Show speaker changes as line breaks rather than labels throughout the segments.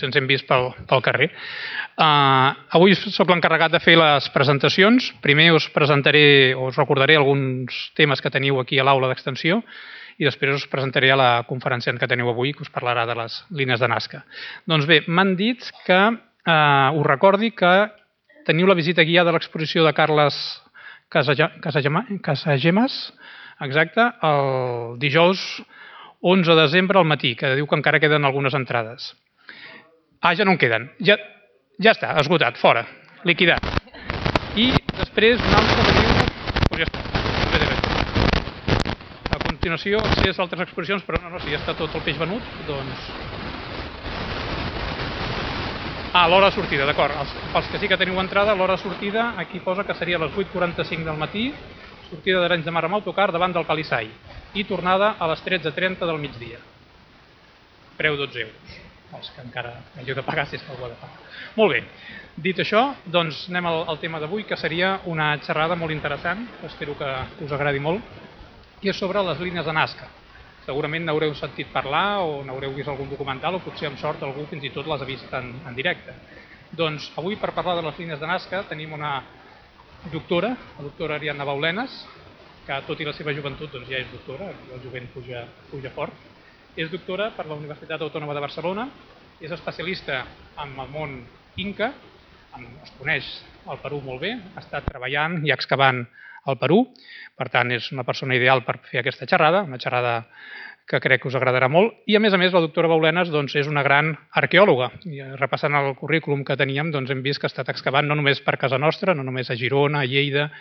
potser ens hem vist pel carrer. Avui sóc l'encarregat de fer les presentacions. Primer us presentaré, o us recordaré alguns temes que teniu aquí a l'aula d'extensió i després us presentaré a la conferenciant que teniu avui, que us parlarà de les línies de Nazca. Doncs bé, m'han dit que us recordi que teniu la visita guiada a l'exposició de Carles Casagemas, exacte, el dijous 11 de desembre al matí, que diu que encara queden algunes entrades. Ja no en queden. Ja està, esgotat, fora, liquidat. I després un altre que diu... Doncs ja està. A continuació, accés a altres exposicions, però no, si ja està tot el peix venut, doncs... L'hora de sortida, d'acord. Pels que sí que teniu entrada, l'hora de sortida, aquí posa que seria a les 8:45 del matí, sortida d'Arenys de Mar amb autocar davant del Calissai i tornada a les 13:30 del migdia. Preu 12 euros. Els que encara hàgiu de pagar si és que algú ha de pagar. Molt bé. Dit això, doncs anem al tema d'avui, que seria una xerrada molt interessant, espero que us agradi molt, i és sobre les línies de Nazca. Segurament n'haureu sentit parlar o n'haureu vist algun documental o potser amb sort algú fins i tot les ha vist en directe. Doncs avui per parlar de les línies de Nazca tenim una doctora, la doctora Ariadna Baulenas, que tot i la seva joventut doncs ja és doctora, el jovent puja fort. És doctora per la Universitat Autònoma de Barcelona, és especialista en el món inca, es coneix el Perú molt bé, ha estat treballant i excavant al Perú, per tant és una persona ideal per fer aquesta xerrada, una xerrada que crec que us agradarà molt, i a més, la doctora Baulenas és una gran arqueòloga. I repassant el currículum que teníem, hem vist que ha estat excavant no només per casa nostra, no només a Girona, a Lleida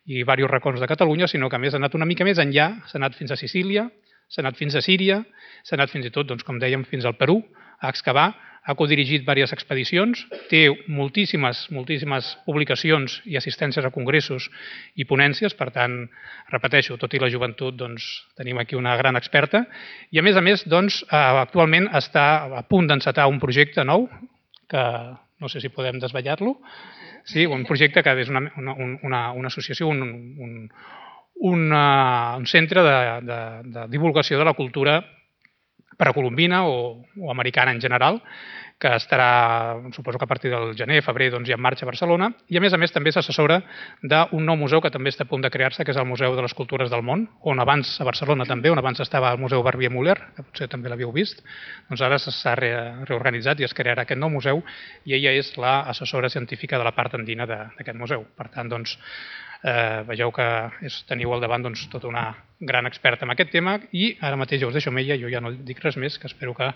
i diversos racons de Catalunya, sinó que a més ha anat una mica més enllà, s'ha anat fins a Sicília, s'ha anat fins a Síria, s'ha anat fins i tot, com dèiem, fins al Perú, a excavar, ha codirigit diverses expedicions, té moltíssimes publicacions i assistències a congressos i ponències, per tant, repeteixo, tot i la joventut, tenim aquí una gran experta, i a més, actualment està a punt d'encetar un projecte nou, que no sé si podem desvetllar-lo, sí, un projecte que és una associació, un centre de divulgació de la cultura precolombina o americana en general, que estarà, suposo que a partir del gener, febrer, ja en marxa a Barcelona, i a més també és assessora d'un nou museu que també està a punt de crear-se, que és el Museu de les Cultures del Món, on abans, a Barcelona també, on abans estava el Museu Barbier Müller, que potser també l'havíeu vist, doncs ara s'ha reorganitzat i es crearà aquest nou museu, i ella és l'assessora científica de la part andina d'aquest museu. Per tant, vegeu que teniu al davant tota una gran experta en aquest tema i ara mateix ja us deixo amb ella, jo ja no dic res més, que espero que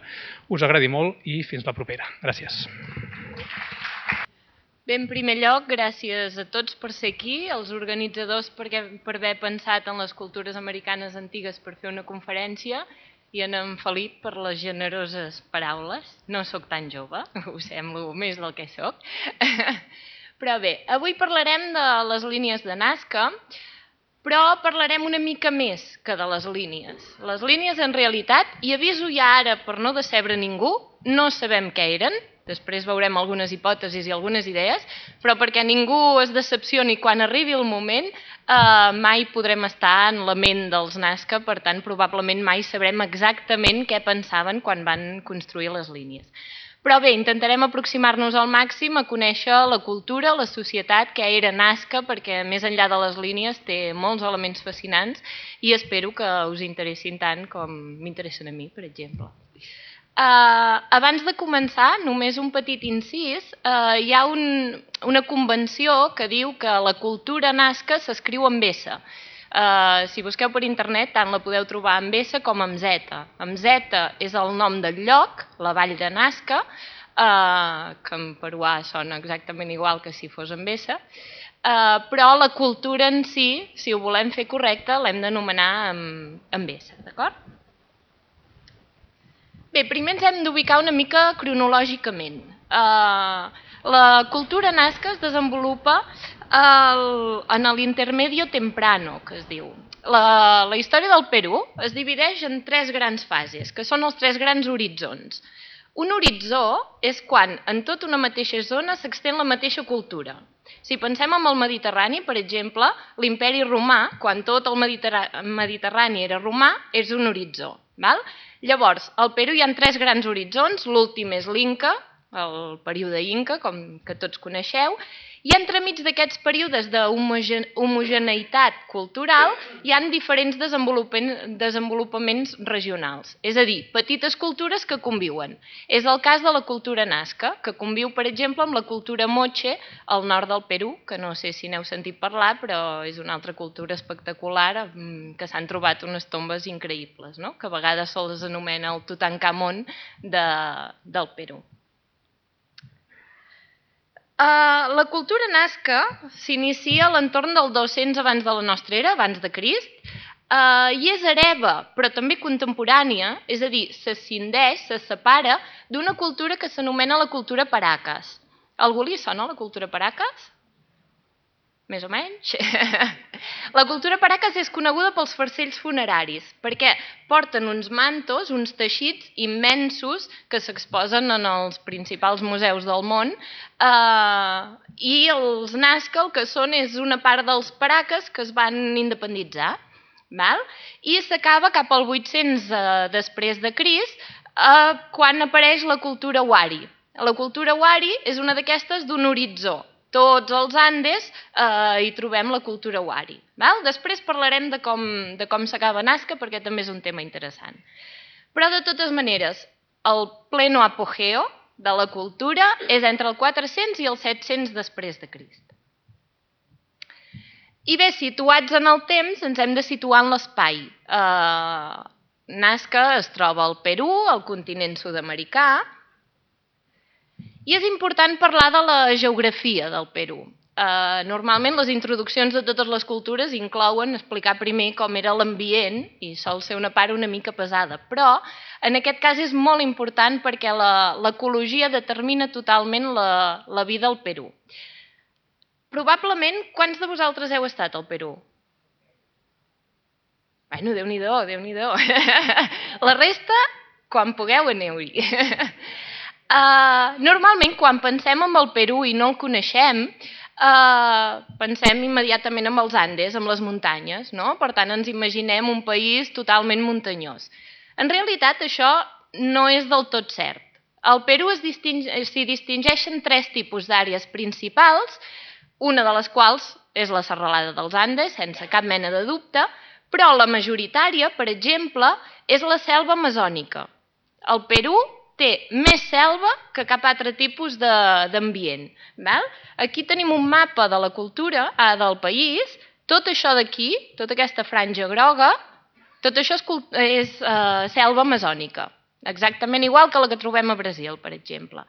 us agradi molt i fins la propera. Gràcies.
Bé, en primer lloc, gràcies a tots per ser aquí, als organitzadors per haver pensat en les cultures americanes antigues per fer una conferència i en Felip per les generoses paraules. No sóc tan jove, us semblo més del que sóc. Però bé, avui parlarem de les línies de Nazca, però parlarem una mica més que de les línies. Les línies, en realitat, i aviso ja ara per no decebre ningú, no sabem què eren, després veurem algunes hipòtesis i algunes idees, però perquè ningú es decepcioni quan arribi el moment, mai podrem estar en la ment dels Nazca, per tant, probablement mai sabrem exactament què pensaven quan van construir les línies. Però bé, intentarem aproximar-nos al màxim a conèixer la cultura, la societat, què era Nazca, perquè més enllà de les línies té molts elements fascinants i espero que us interessin tant com m'interessen a mi, per exemple. Abans de començar, només un petit incís, hi ha una convenció que diu que la cultura Nazca s'escriu amb S. Si busqueu per internet, tant la podeu trobar amb S com amb Z. Amb Z és el nom del lloc, la vall de Nazca, que en peruà sona exactament igual que si fos amb S, però la cultura en si ho volem fer correcte, l'hem d'anomenar amb S, d'acord? Bé, primer ens hem d'ubicar una mica cronològicament. La cultura Nazca es desenvolupa en l'intermedio temprano, que es diu. La història del Perú es divideix en tres grans fases, que són els tres grans horitzons. Un horitzó és quan en tota una mateixa zona s'extén la mateixa cultura. Si pensem en el Mediterrani, per exemple, l'imperi romà, quan tot el Mediterrani era romà, és un horitzó. Llavors, al Perú hi ha tres grans horitzons, l'últim és l'Inca, el període Inca, com que tots coneixeu, i entremig d'aquests períodes d'homogeneïtat cultural hi ha diferents desenvolupaments regionals, és a dir, petites cultures que conviuen. És el cas de la cultura Nazca, que conviu, per exemple, amb la cultura Moche al nord del Perú, que no sé si n'heu sentit parlar, però és una altra cultura espectacular, que s'han trobat unes tombes increïbles, no? Que a vegades se'ls anomena el Tutankamon del Perú. La cultura Nazca s'inicia a l'entorn del 200 abans de la nostra era, abans de Crist, i és hereva, però també contemporània, és a dir, s'escindeix, se separa d'una cultura que s'anomena la cultura Paracas. A algú li sona la cultura Paracas? Més o menys. La cultura Paracas és coneguda pels farcells funeraris, perquè porten uns mantos, uns teixits immensos que s'exposen en els principals museus del món, i els Nazca el que són és una part dels Paracas que es van independitzar, i s'acaba cap al 800 després de Crist, quan apareix la cultura Wari. La cultura Wari és una d'aquestes d'un horitzó. Tots els Andes hi trobem la cultura Wari. Després parlarem de com s'acaba Nazca, perquè també és un tema interessant. Però, de totes maneres, el pleno apogeo de la cultura és entre el 400 i el 700 després de Crist. I bé, situats en el temps, ens hem de situar en l'espai. Nazca es troba al Perú, al continent sud-americà, i és important parlar de la geografia del Perú. Normalment les introduccions de totes les cultures inclouen explicar primer com era l'ambient i sol ser una part una mica pesada, però en aquest cas és molt important perquè l'ecologia determina totalment la vida al Perú. Probablement, quants de vosaltres heu estat al Perú? Bueno, Déu-n'hi-do, Déu-n'hi-do. La resta, quan pugueu, aneu-hi. Normalment, quan pensem en el Perú i no el coneixem, pensem immediatament en els Andes, en les muntanyes, no? Per tant, ens imaginem un país totalment muntanyós. En realitat, això no és del tot cert. Al Perú s'hi distingeixen 3 tipus d'àrees principals, una de les quals és la serralada dels Andes, sense cap mena de dubte, però la majoritària, per exemple, és la selva amazònica. El Perú té més selva que cap altre tipus d'ambient. Aquí tenim un mapa de la cultura del país. Tot això d'aquí, tota aquesta franja groga, tot això és selva amazònica. Exactament igual que la que trobem a Brasil, per exemple.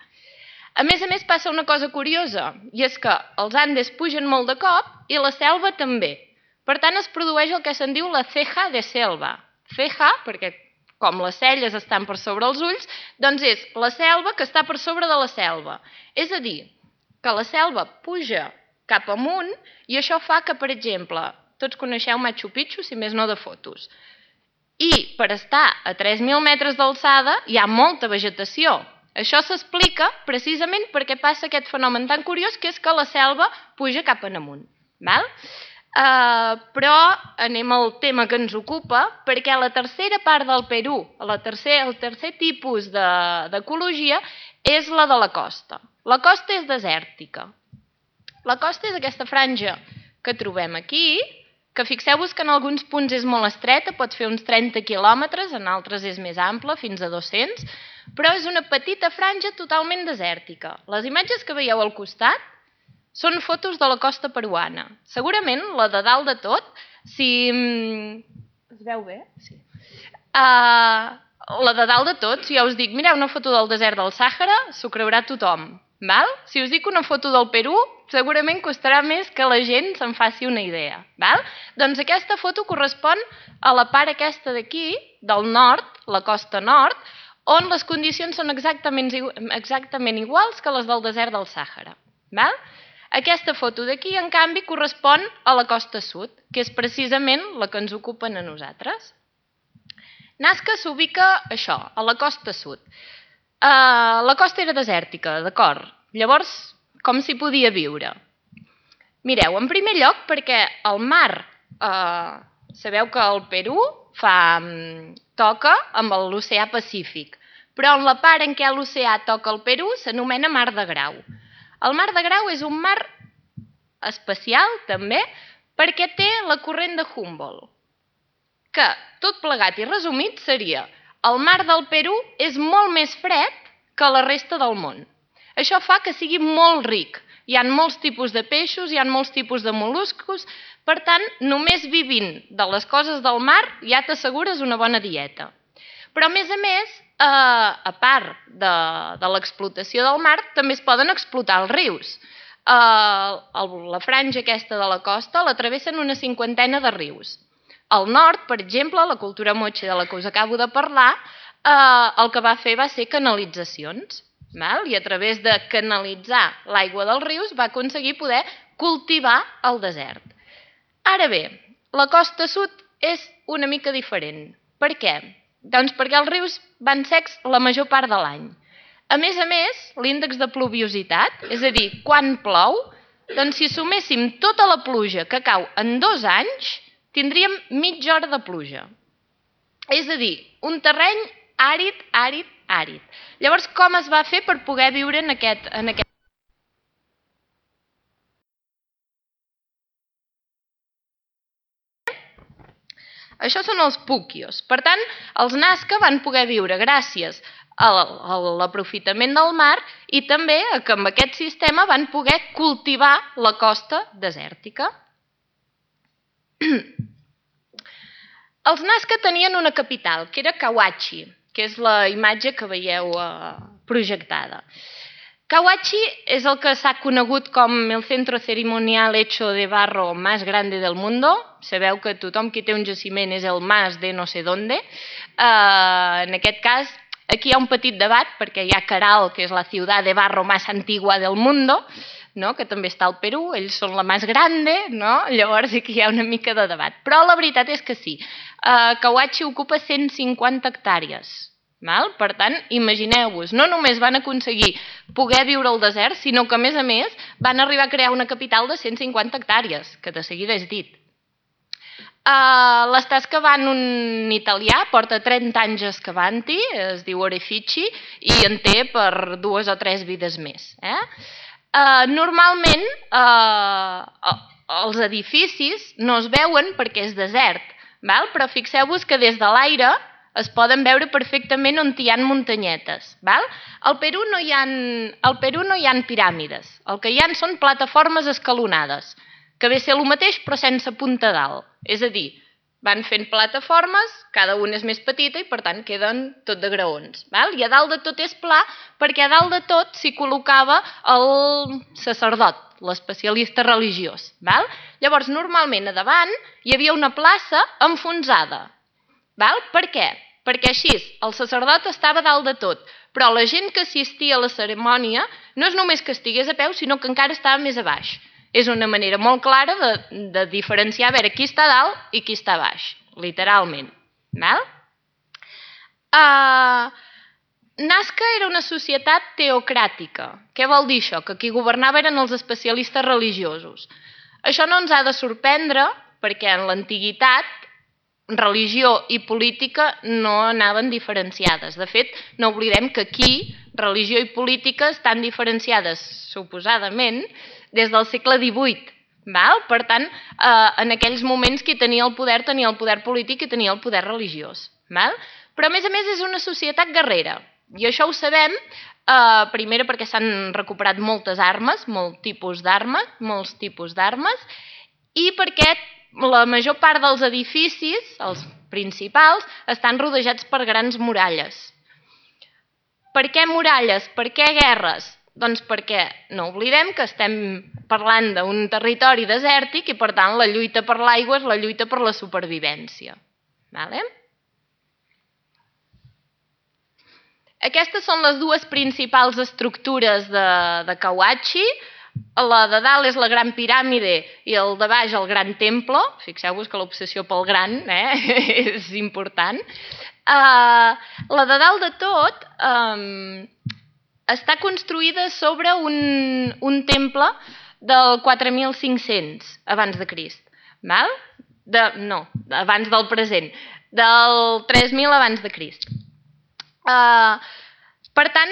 A més, passa una cosa curiosa, i és que els Andes pugen molt de cop i la selva també. Per tant, es produeix el que se'n diu la ceja de selva. Ceja, perquè com les celles estan per sobre els ulls, doncs és la selva que està per sobre de la selva. És a dir, que la selva puja cap amunt i això fa que, per exemple, tots coneixeu Machu Picchu, si més no de fotos. I per estar a 3.000 metres d'alçada hi ha molta vegetació. Això s'explica precisament perquè passa aquest fenomen tan curiós que és que la selva puja cap en amunt. Però anem al tema que ens ocupa, perquè la tercera part del Perú, el tercer tipus d'ecologia, és la de la costa. La costa és desèrtica. La costa és aquesta franja que trobem aquí, que fixeu-vos que en alguns punts és molt estreta, pot fer uns 30 quilòmetres, en altres és més ampla, fins a 200, però és una petita franja totalment desèrtica. Les imatges que veieu al costat són fotos de la costa peruana. Segurament, la de dalt de tot, si... Es veu bé? Sí. La de dalt de tot, si jo us dic, mireu una foto del desert del Sàhara, s'ho creurà tothom. Si us dic una foto del Perú, segurament costarà més que la gent se'n faci una idea. Doncs aquesta foto correspon a la part aquesta d'aquí, del nord, la costa nord, on les condicions són exactament iguals que les del desert del Sàhara. Aquesta foto d'aquí, en canvi, correspon a la costa sud, que és precisament la que ens ocupen a nosaltres. Nazca s'ubica això, a la costa sud. La costa era desèrtica, d'acord. Llavors, com s'hi podia viure? Mireu, en primer lloc, perquè el mar, sabeu que el Perú toca amb l'oceà Pacífic. però en la part en què l'oceà toca el Perú s'anomena Mar de Grau. El Mar de Grau és un mar especial, també, perquè té la corrent de Humboldt, que, tot plegat i resumit, seria el mar del Perú és molt més fred que la resta del món. Això fa que sigui molt ric. Hi ha molts tipus de peixos, hi ha molts tipus de mol·luscos, per tant, només vivint de les coses del mar ja t'assegures una bona dieta. Però, a més, a part de l'explotació del mar, també es poden explotar els rius. La franja aquesta de la costa la travessen una cinquantena de rius. Al nord, per exemple, la cultura moche de la que us acabo de parlar, el que va fer va ser canalitzacions. I a través de canalitzar l'aigua dels rius va aconseguir poder cultivar el desert. Ara bé, la costa sud és una mica diferent. Per què? Doncs perquè els rius van secs la major part de l'any. A més, l'índex de pluviositat, és a dir, quan plou, doncs si suméssim tota la pluja que cau en 2 anys, tindríem mitja hora de pluja. És a dir, un terreny àrid, àrid, àrid. Llavors, com es va fer per poder viure en aquest... Això són els puquios. Per tant, els Nazca van poder viure gràcies a l'aprofitament del mar i també que amb aquest sistema van poder cultivar la costa desèrtica. Els Nazca tenien una capital, que era Cahuachi, que és la imatge que veieu projectada. Cahuachi és el que s'ha conegut com el centro ceremonial hecho de barro más grande del mundo. Sabeu que tothom que té un jaciment és el mas de no sé dónde. En aquest cas, aquí hi ha un petit debat, perquè hi ha Caral, que és la ciutat de barro más antigua del mundo, que també està al Perú, ells són la més grande, llavors aquí hi ha una mica de debat. Però la veritat és que sí, Cahuachi ocupa 150 hectàrees. Per tant, imagineu-vos, no només van aconseguir poder viure al desert, sinó que, a més, van arribar a crear una capital de 150 hectàrees, que de seguida és dit. L'està excavant un italià, porta 30 anys excavant-hi, es diu Orefici, i en té per 2 o 3 vides més. Normalment, els edificis no es veuen perquè és desert, però fixeu-vos que des de l'aire es poden veure perfectament on hi ha muntanyetes. Al Perú no hi ha piràmides, el que hi ha són plataformes escalonades, que ve a ser el mateix però sense punta dalt. És a dir, van fent plataformes, cada una és més petita i per tant queden tot de graons. I a dalt de tot és pla perquè a dalt de tot s'hi col·locava el sacerdot, l'especialista religiós. Llavors, normalment a davant hi havia una plaça enfonsada. Per què? Perquè així el sacerdot estava dalt de tot, però la gent que assistia a la cerimònia no és només que estigués a peu, sinó que encara estava més a baix. És una manera molt clara de diferenciar a veure qui està dalt i qui està a baix, literalment. Nazca era una societat teocràtica. Què vol dir això? Que qui governava eren els especialistes religiosos. Això no ens ha de sorprendre perquè en l'antiguitat religió i política no anaven diferenciades. De fet, no oblidem que aquí religió i política estan diferenciades, suposadament, des del segle XVIII. Per tant, en aquells moments qui tenia el poder polític i tenia el poder religiós. Però, a més, és una societat guerrera. I això ho sabem, primer perquè s'han recuperat moltes armes, molts tipus d'armes, i perquè la major part dels edificis, els principals, estan rodejats per grans muralles. Per què muralles? Per què guerres? Doncs perquè no oblidem que estem parlant d'un territori desèrtic i, per tant, la lluita per l'aigua és la lluita per la supervivència. Aquestes són les dues principals estructures de Cahuachi. La de dalt és la gran piràmide i el de baix el gran temple. Fixeu-vos que l'obsessió pel gran és important. La de dalt de tot està construïda sobre un temple del 4500 abans de Crist. No, abans del present. Del 3000 abans de Crist. Per tant,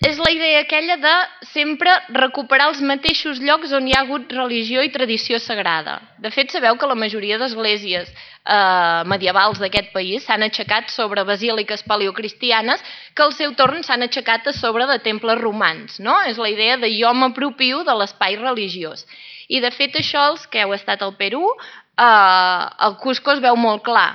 és la idea aquella de sempre recuperar els mateixos llocs on hi ha hagut religió i tradició sagrada. De fet, sabeu que la majoria d'esglésies medievals d'aquest país s'han aixecat sobre basíliques paleocristianes que al seu torn s'han aixecat a sobre de temples romans. No? És la idea de jo m'apropio de l'espai religiós. I de fet això, els que heu estat al Perú, al Cusco es veu molt clar.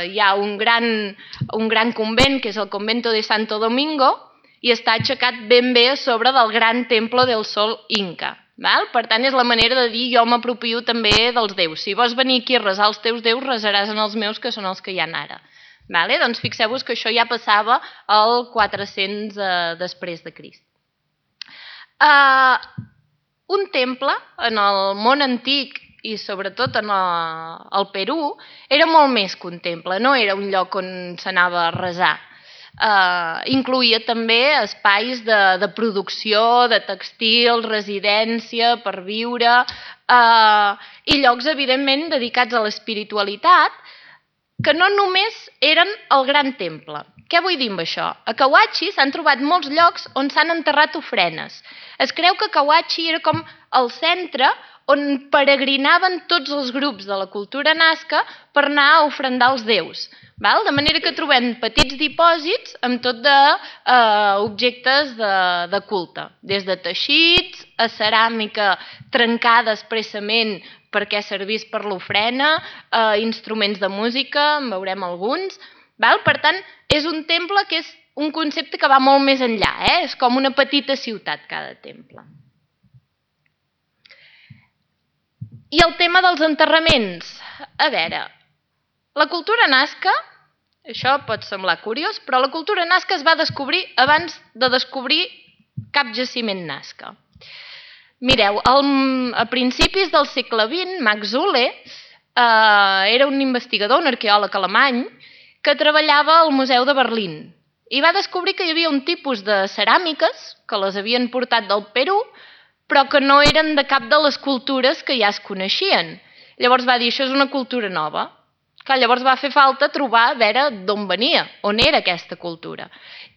Hi ha un gran convent, que és el Convento de Santo Domingo, i està aixecat ben bé a sobre del gran Templo del Sol Inca. Per tant, és la manera de dir jo m'apropio també dels déus. Si vols venir aquí a resar els teus déus, resaràs en els meus, que són els que hi ha ara. Doncs fixeu-vos que això ja passava al 400 després de Crist. Un temple, en el món antic i sobretot en el Perú, era molt més que un temple, no era un lloc on s'anava a resar. Incloïa també espais de producció, de tèxtil, residència per viure i llocs, evidentment, dedicats a l'espiritualitat, que no només eren el gran temple. Què vull dir amb això? A Cahuachi s'han trobat molts llocs on s'han enterrat ofrenes. Es creu que Cahuachi era com el centre on peregrinaven tots els grups de la cultura nazca per anar a ofrendar els déus. De manera que trobem petits dipòsits amb tot d'objectes de culte, des de teixits a ceràmica trencada expressament perquè servís per l'ofrena, instruments de música, en veurem alguns. Per tant, és un temple que és un concepte que va molt més enllà, és com una petita ciutat cada temple. I el tema dels enterraments. A veure, la cultura nazca, això pot semblar curiós, però la cultura nazca es va descobrir abans de descobrir cap jaciment nazca. Mireu, a principis del segle XX, Max Uhle era un investigador, un arqueòleg alemany, que treballava al Museu de Berlín i va descobrir que hi havia un tipus de ceràmiques que les havien portat del Perú, però que no eren de cap de les cultures que ja es coneixien. Llavors va dir, això és una cultura nova. Llavors va fer falta trobar a veure d'on venia, on era aquesta cultura.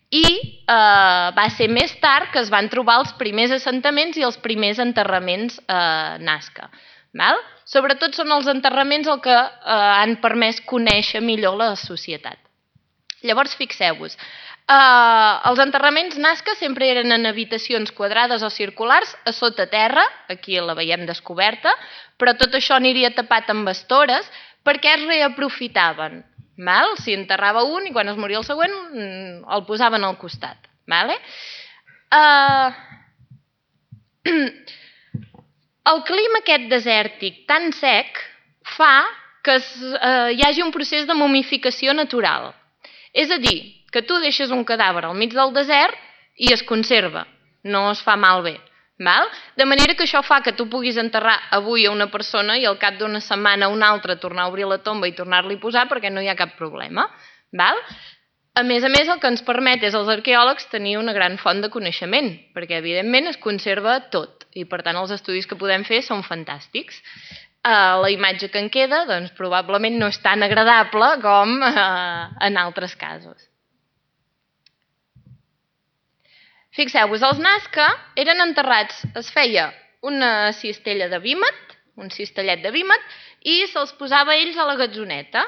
I va ser més tard que es van trobar els primers assentaments i els primers enterraments nazca. Sobretot són els enterraments el que han permès conèixer millor la societat. Llavors, fixeu-vos, els enterraments nazca sempre eren en habitacions quadrades o circulars a sota terra, aquí la veiem descoberta, però tot això aniria tapat amb estores perquè es reaprofitaven. S'hi enterrava un i quan es moria el següent el posaven al costat. El clima aquest desèrtic tan sec fa que hi hagi un procés de momificació natural. És a dir, que tu deixes un cadàver al mig del desert i es conserva, no es fa malbé. De manera que això fa que tu puguis enterrar avui a una persona i al cap d'una setmana a una altra tornar a obrir la tomba i tornar-li a posar perquè no hi ha cap problema. A més, el que ens permet és als arqueòlegs tenir una gran font de coneixement, perquè evidentment es conserva tot i per tant els estudis que podem fer són fantàstics. La imatge que en queda doncs, probablement no és tan agradable com en altres casos. Fixeu-vos, els nazca eren enterrats, es feia una cistella de vímet, un cistellet de vímet, i se'ls posava ells a la gatzoneta.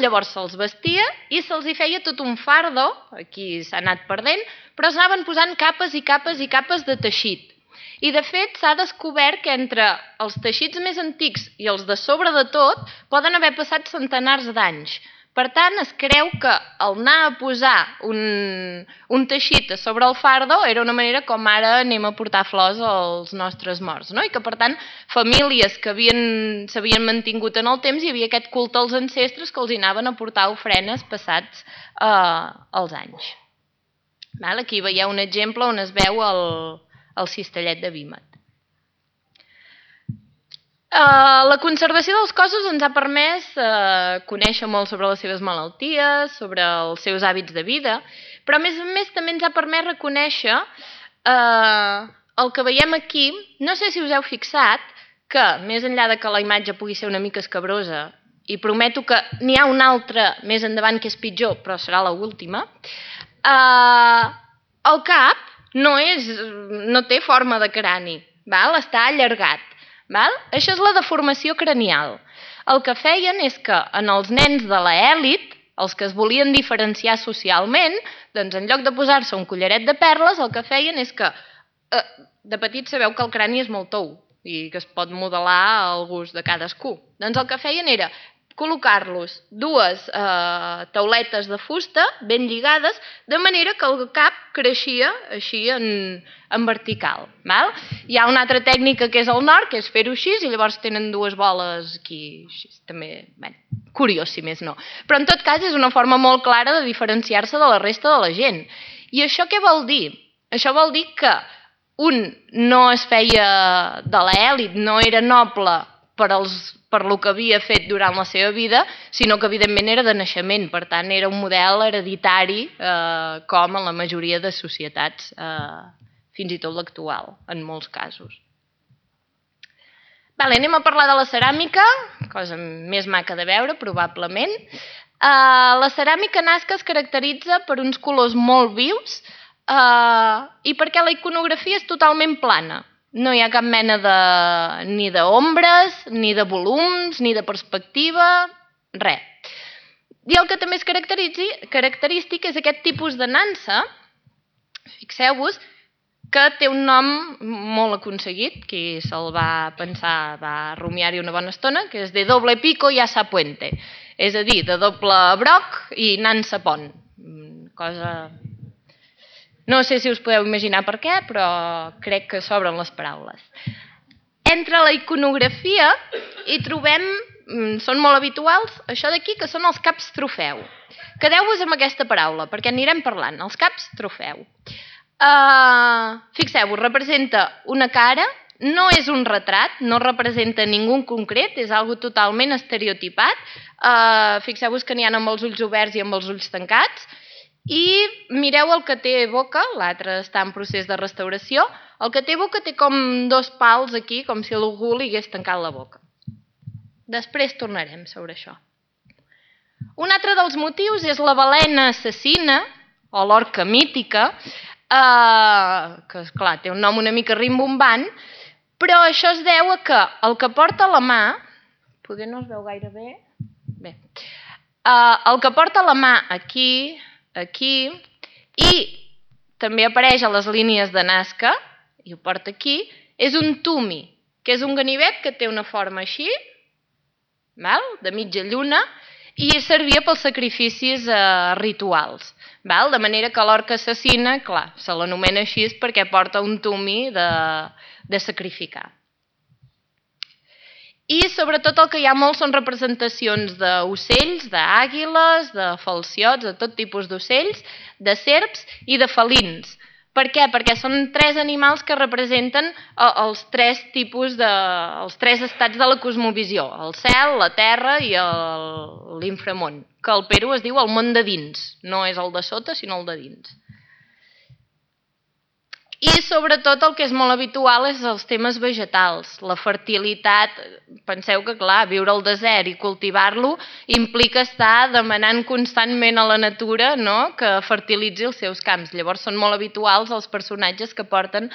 Llavors se'ls vestia i se'ls hi feia tot un fardo, aquí s'ha anat perdent, però s'anaven posant capes i capes i capes de teixit. I de fet s'ha descobert que entre els teixits més antics i els de sobre de tot poden haver passat centenars d'anys. Per tant, es creu que el anar a posar un teixit a sobre el fardo era una manera com ara anem a portar flors als nostres morts. I que, per tant, famílies que s'havien mantingut en el temps hi havia aquest culte als ancestres que els anaven a portar ofrenes passats els anys. Aquí veieu un exemple on es veu el cistellet de vímet. La conservació dels cossos ens ha permès conèixer molt sobre les seves malalties, sobre els seus hàbits de vida, però a més també ens ha permès reconèixer el que veiem aquí. No sé si us heu fixat que, més enllà de que la imatge pugui ser una mica escabrosa, i prometo que n'hi ha una altra més endavant que és pitjor, però serà l'última, el cap no té forma de crani, està allargat. Això és la deformació cranial. El que feien és que en els nens de l'elit, els que es volien diferenciar socialment, doncs en lloc de posar-se un collaret de perles, el que feien és que de petit sabeu que el crani és molt tou i que es pot modelar al gust de cadascú. Doncs el que feien era col·locar-los dues tauletes de fusta ben lligades, de manera que el cap creixia així en vertical. Hi ha una altra tècnica que és el nord, que és fer-ho així, i llavors tenen dues boles aquí, també, curiós si més no. Però en tot cas és una forma molt clara de diferenciar-se de la resta de la gent. I això què vol dir? Això vol dir que un no es feia de l'elit, no era noble per lo que havia fet durant la seva vida, sinó que evidentment era de naixement, per tant era un model hereditari com en la majoria de societats, fins i tot l'actual, en molts casos. Anem a parlar de la ceràmica, cosa més maca de veure, probablement. La ceràmica nazca es caracteritza per uns colors molt vius i perquè la iconografia és totalment plana. No hi ha cap mena ni d'ombres, ni de volums, ni de perspectiva, res. I el que també és característic és aquest tipus de nansa, fixeu-vos, que té un nom molt aconseguit, qui se'l va pensar, va rumiar-hi una bona estona, que és de doble pico y asa puente, és a dir, de doble broc i nansa pont. Cosa... No sé si us podeu imaginar per què, però crec que s'obren les paraules. Entre la iconografia hi trobem, són molt habituals, això d'aquí, que són els caps trofeu. Quedeu-vos amb aquesta paraula, perquè anirem parlant, els caps trofeu. Fixeu-vos, representa una cara, no és un retrat, no representa ningú en concret, és algo totalment estereotipat. Fixeu-vos que n'hi ha amb els ulls oberts i amb els ulls tancats. I mireu el que té boca, l'altre està en procés de restauració, el que té boca té com dos pals aquí, com si algú li hagués tancat la boca. Després tornarem sobre això. Un altre dels motius és la balena assassina, o l'orca mítica, que esclar, té un nom una mica rimbombant, però això es deu a que el que porta a la mà, poder no es veu gaire bé, el que porta a la mà aquí i també apareix a les línies de Nazca, i ho porta aquí, és un tumi, que és un ganivet que té una forma així, de mitja lluna, i servia pels sacrificis rituals. De manera que l'orca assassina, clar, se l'anomena així perquè porta un tumi de sacrificar. I sobretot el que hi ha molt són representacions d'ocells, d'àguiles, de falciots, de tot tipus d'ocells, de serps i de felins. Per què? Perquè són tres animals que representen els tres estats de la cosmovisió, el cel, la terra i l'inframón, que al Perú es diu el món de dins, no és el de sota sinó el de dins. I sobretot el que és molt habitual és els temes vegetals, la fertilitat. Penseu que, clar, viure al desert i cultivar-lo implica estar demanant constantment a la natura que fertilitzi els seus camps. Llavors són molt habituals els personatges que porten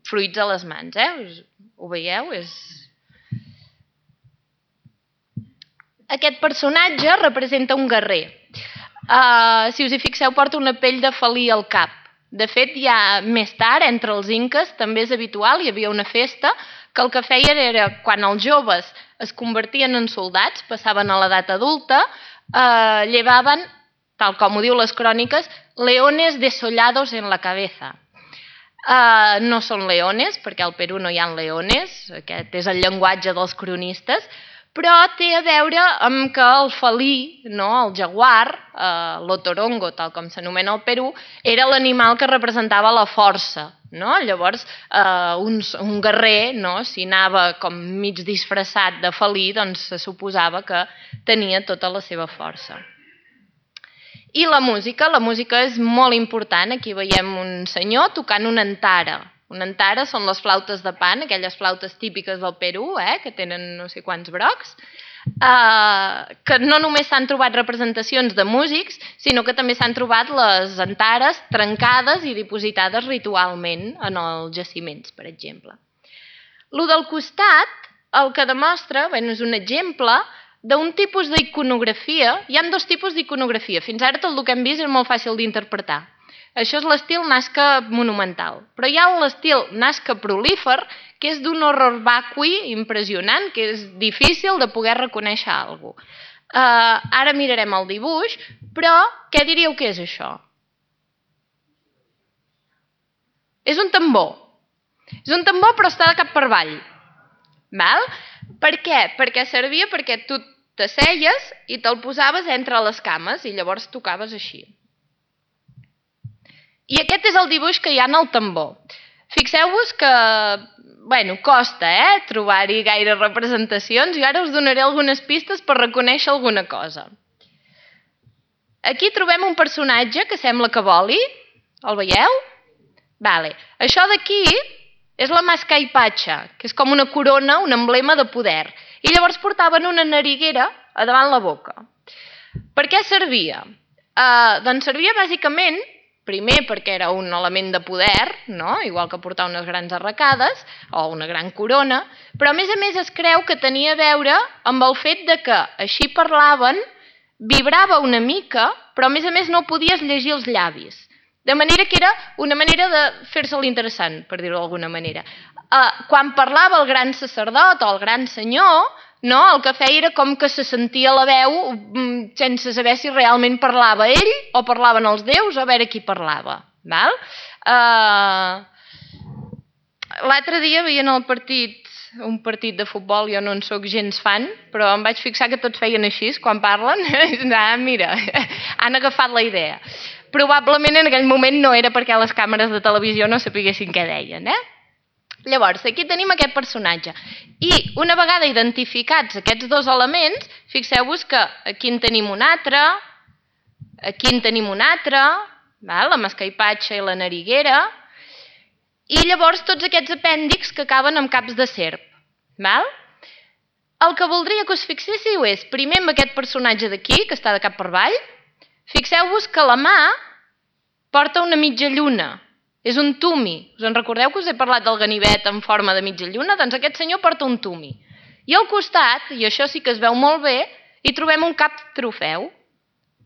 fruits a les mans. Ho veieu? Aquest personatge representa un guerrer. Si us hi fixeu, porta una pell de felí al cap. De fet, ja més tard, entre els inques, també és habitual, hi havia una festa, que el que feien era, quan els joves es convertien en soldats, passaven a l'edat adulta, llevaven, tal com ho diu les cròniques, leones desollados en la cabeza. No són leones, perquè al Perú no hi ha leones, aquest és el llenguatge dels cronistes, però té a veure amb que el felí, el jaguar, l'otorongo, tal com s'anomena al Perú, era l'animal que representava la força. Llavors, un guerrer, si anava com mig disfressat de felí, doncs se suposava que tenia tota la seva força. I la música és molt important. Aquí veiem un senyor tocant una antara. Una antara són les flautes de pan, aquelles flautes típiques del Perú, que tenen no sé quants brocs. que no només s'han trobat representacions de músics, sinó que també s'han trobat les antares trencades i dipositades ritualment en els jaciments, per exemple. Lo del costat, el que demostra, és un exemple d'un tipus d'iconografia. Hi ha dos tipus d'iconografia. Fins ara tot el que hem vist és molt fàcil d'interpretar. Això és l'estil Nazca monumental. Però hi ha l'estil Nazca prolífer, que és d'un horror vacui impressionant, que és difícil de poder reconèixer alguna cosa. Ara mirarem el dibuix, però què diríeu que és això? És un tambor. És un tambor però està de cap per avall. Val? Per què? Perquè servia perquè tu t'asseies i te'l posaves entre les cames i llavors tocaves així. I aquest és el dibuix que hi ha en el tambor. Fixeu-vos que, costa trobar-hi gaire representacions i ara us donaré algunes pistes per reconèixer alguna cosa. Aquí trobem un personatge que sembla que voli. El veieu? Vale. Això d'aquí és la mascaipatxa, que és com una corona, un emblema de poder. I llavors portaven una nariguera a davant la boca. Per què servia? Doncs servia bàsicament, primer perquè era un element de poder, no? Igual que portar unes grans arracades o una gran corona, però a més es creu que tenia a veure amb el fet de que així parlaven, vibrava una mica, però a més no podies llegir els llavis. De manera que era una manera de fer-se l'interessant, per dir-ho d'alguna manera. Quan parlava el gran sacerdot o el gran senyor, no, el que feia era com que se sentia la veu sense saber si realment parlava ell o parlaven els déus o a veure qui parlava. Val? L'altre dia veient un partit de futbol, jo no en soc gens fan, però em vaig fixar que tots feien així quan parlen. Mira, han agafat la idea. Probablement en aquell moment no era perquè les càmeres de televisió no sapiguessin què deien. Llavors, aquí tenim aquest personatge. I una vegada identificats aquests dos elements, fixeu-vos que aquí en tenim un altre, aquí en tenim un altre, la mascaipatxa i la nariguera, i llavors tots aquests apèndixs que acaben amb caps de serp. El que voldria que us fixéssiu és, primer amb aquest personatge d'aquí, que està de cap per avall, fixeu-vos que la mà porta una mitja lluna. És un tumi. Us en recordeu que us he parlat del ganivet en forma de mitja lluna? Doncs aquest senyor porta un tumi. I al costat, i això sí que es veu molt bé, hi trobem un cap trofeu.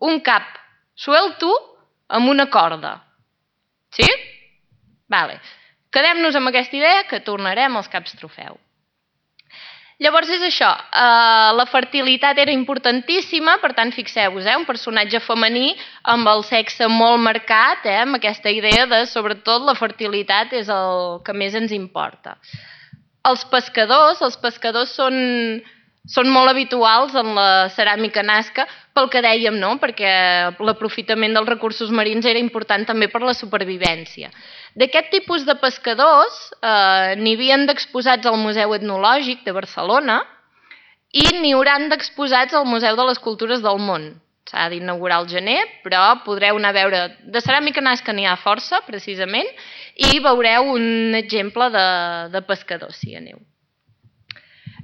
Un cap suelto amb una corda. Sí? Vale. Quedem-nos amb aquesta idea que tornarem als caps trofeu. Llavors és això, la fertilitat era importantíssima, per tant fixeu-vos, un personatge femení amb el sexe molt marcat, amb aquesta idea de sobretot la fertilitat és el que més ens importa. Els pescadors són molt habituals en la ceràmica Nazca pel que dèiem, no? Perquè l'aprofitament dels recursos marins era important també per la supervivència. D'aquest tipus de pescadors n'hi havien d'exposats al Museu Etnològic de Barcelona i n'hi hauran d'exposats al Museu de les Cultures del Món. S'ha d'inaugurar al gener, però podreu anar a veure... De ceràmica Nazca n'hi ha força, precisament, i veureu un exemple de pescador, si aneu.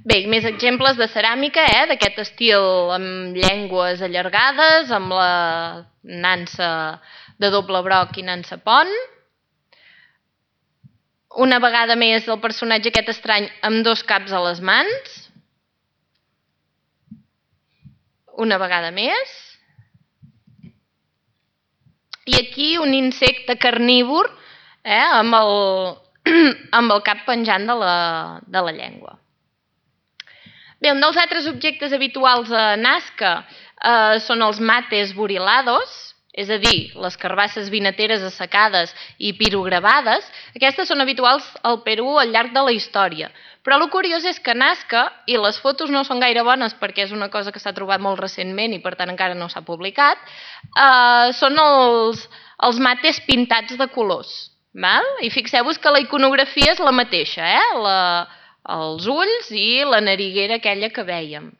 Bé, més exemples de ceràmica, d'aquest estil amb llengües allargades, amb la nansa de doble broc i nansa pont. Una vegada més el personatge aquest estrany amb dos caps a les mans. Una vegada més. I aquí un insecte carnívor amb el cap penjant de la llengua. Bé, un dels altres objectes habituals a Nazca són els mates burilados, és a dir, les carbasses vinateres assecades i pirogravades. Aquestes són habituals al Perú al llarg de la història. Però el curiós és que Nazca, i les fotos no són gaire bones perquè és una cosa que s'ha trobat molt recentment i per tant encara no s'ha publicat, són els mates pintats de colors. I fixeu-vos que la iconografia és la mateixa, els ulls i la nariguera aquella que vèiem.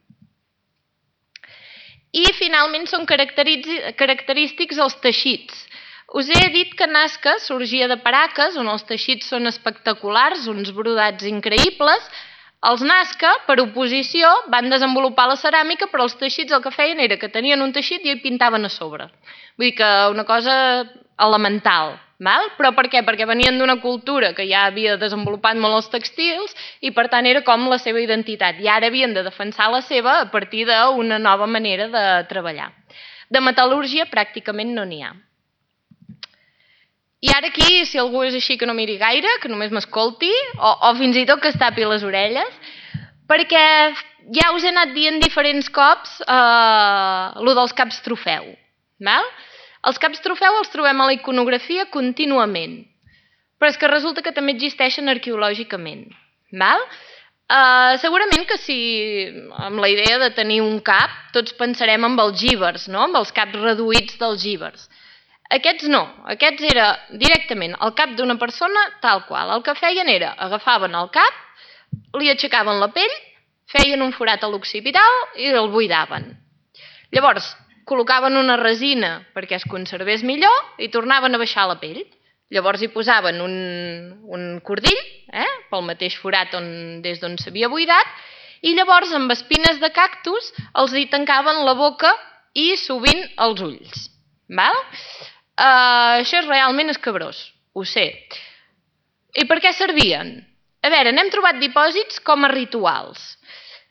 I finalment són característics els teixits. Us he dit que Nazca sorgia de Paracas, on els teixits són espectaculars, uns brodats increïbles. Els Nazca, per oposició, van desenvolupar la ceràmica, però els teixits el que feien era que tenien un teixit i hi pintaven a sobre. Vull dir que una cosa elemental. Però per què? Perquè venien d'una cultura que ja havia desenvolupat molt els textils i per tant era com la seva identitat. I ara havien de defensar la seva a partir d'una nova manera de treballar. De metal·lúrgia pràcticament no n'hi ha. I ara aquí, si algú és així que no miri gaire, que només m'escolti, o fins i tot que es tapi les orelles, perquè ja us he anat dient diferents cops lo dels caps trofeu. Els caps trofeu els trobem a la iconografia contínuament, però és que resulta que també existeixen arqueològicament. Segurament que si amb la idea de tenir un cap tots pensarem en els gívers, amb els caps reduïts dels gívers. Aquests no, aquests era directament el cap d'una persona tal qual. El que feien era, agafaven el cap, li aixecaven la pell, feien un forat a l'occipital i el buidaven. Llavors, col·locaven una resina perquè es conservés millor i tornaven a baixar la pell. Llavors hi posaven un cordill, pel mateix forat des d'on s'havia buidat, i llavors amb espines de cactus els hi tancaven la boca i sovint els ulls. Això és realment escabrós, ho sé. I per què servien? A veure, n'hem trobat dipòsits com a rituals.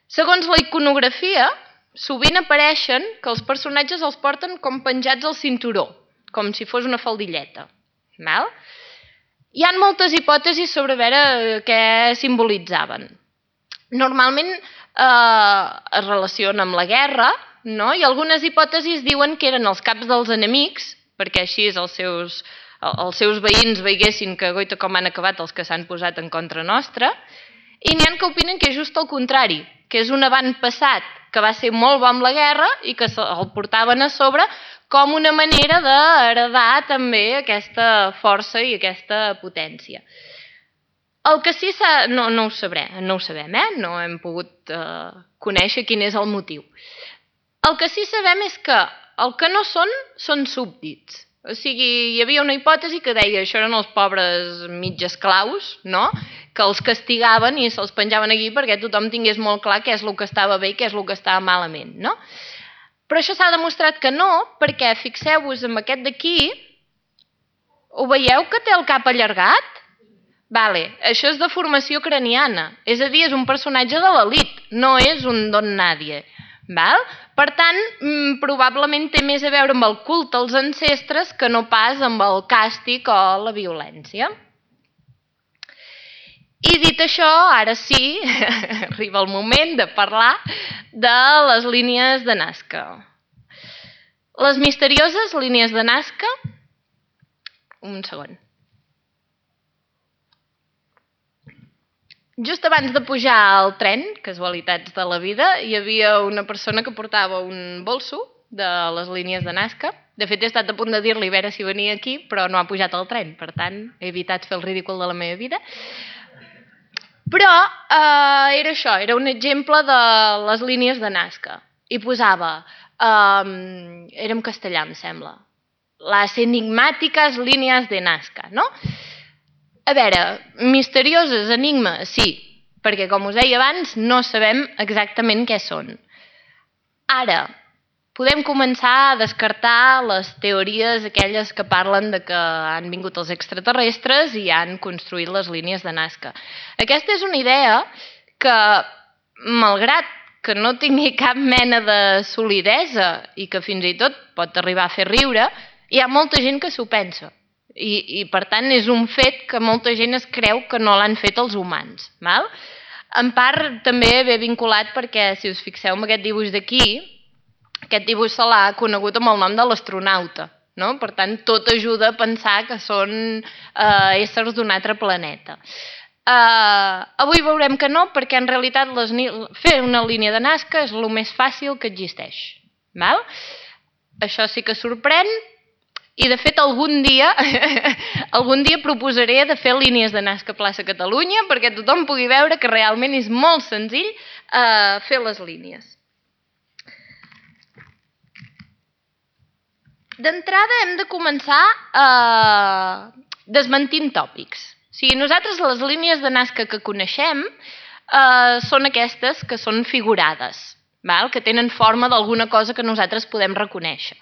Segons la iconografia, sovint apareixen que els personatges els porten com penjats al cinturó, com si fos una faldilleta. Hi ha moltes hipòtesis sobre veure què simbolitzaven. Normalment es relaciona amb la guerra, i algunes hipòtesis diuen que eren els caps dels enemics, perquè així els seus veïns veiessin que goita com han acabat els que s'han posat en contra nostra, i n'hi ha que opinen que és just el contrari, que és un avantpassat que va ser molt bo amb la guerra i que el portaven a sobre com una manera d'heredar també aquesta força i aquesta potència. El que sí no ho sabem, no hem pogut conèixer quin és el motiu. El que sí sabem és que el que no són súbdits. O sigui, hi havia una hipòtesi que deia això eren els pobres mig esclaus, que els castigaven i se'ls penjaven aquí perquè tothom tingués molt clar què és el que estava bé i què és el que estava malament, Però això s'ha demostrat que no, perquè fixeu-vos en aquest d'aquí, ho veieu que té el cap allargat? Això és deformació craniana, és a dir, és un personatge de l'elit, no és un don nadie. Per tant, probablement té més a veure amb el culte als ancestres que no pas amb el càstig o la violència. I dit això, ara sí, arriba el moment de parlar de les línies de Nazca. Les misterioses línies de Nazca... Un segon. Just abans de pujar al tren, casualitats de la vida, hi havia una persona que portava un bolso de les línies de Nazca. De fet, he estat a punt de dir-li a veure si venia aquí, però no ha pujat al tren. Per tant, he evitat fer el ridícul de la meva vida. Però era això, era un exemple de les línies de Nazca. I posava, era en castellà, em sembla, les enigmàtiques línies de Nazca, A veure, misterioses, enigmes, sí, perquè com us deia abans no sabem exactament què són. Ara, podem començar a descartar les teories aquelles que parlen de que han vingut els extraterrestres i han construït les línies de Nazca. Aquesta és una idea que, malgrat que no tingui cap mena de solidesa i que fins i tot pot arribar a fer riure, hi ha molta gent que s'ho pensa. I per tant és un fet que molta gent es creu que no l'han fet els humans. En part també ve vinculat perquè, si us fixeu en aquest dibuix d'aquí, aquest dibuix se l'ha conegut amb el nom de l'astronauta. Per tant, tot ajuda a pensar que són éssers d'un altre planeta. Avui veurem que no, perquè en realitat fer una línia de Nazca és el més fàcil que existeix. Això sí que sorprèn. I, de fet, algun dia proposaré de fer línies de Nazca a plaça Catalunya perquè tothom pugui veure que realment és molt senzill fer les línies. D'entrada hem de començar desmentint tòpics. O sigui, nosaltres les línies de Nazca que coneixem són aquestes que són figurades, que tenen forma d'alguna cosa que nosaltres podem reconèixer.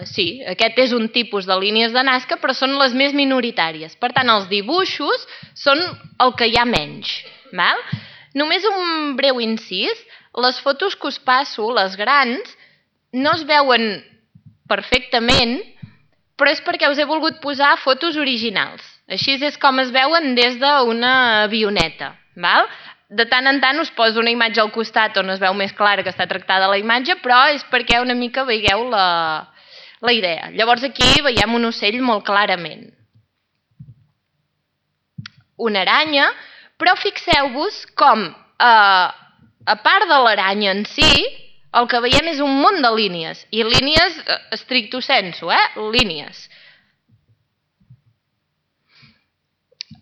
Sí, aquest és un tipus de línies de Nazca, però són les més minoritàries. Per tant, els dibuixos són el que hi ha menys. Només un breu incís, les fotos que us passo, les grans, no es veuen perfectament, però és perquè us he volgut posar fotos originals. Així és com es veuen des d'una avioneta. De tant en tant us poso una imatge al costat on es veu més clara que està tractada la imatge, però és perquè una mica veieu la idea. Llavors aquí veiem un ocell molt clarament. Una aranya, però fixeu-vos com, a part de l'aranya en si, el que veiem és un munt de línies, i línies stricto sensu, línies.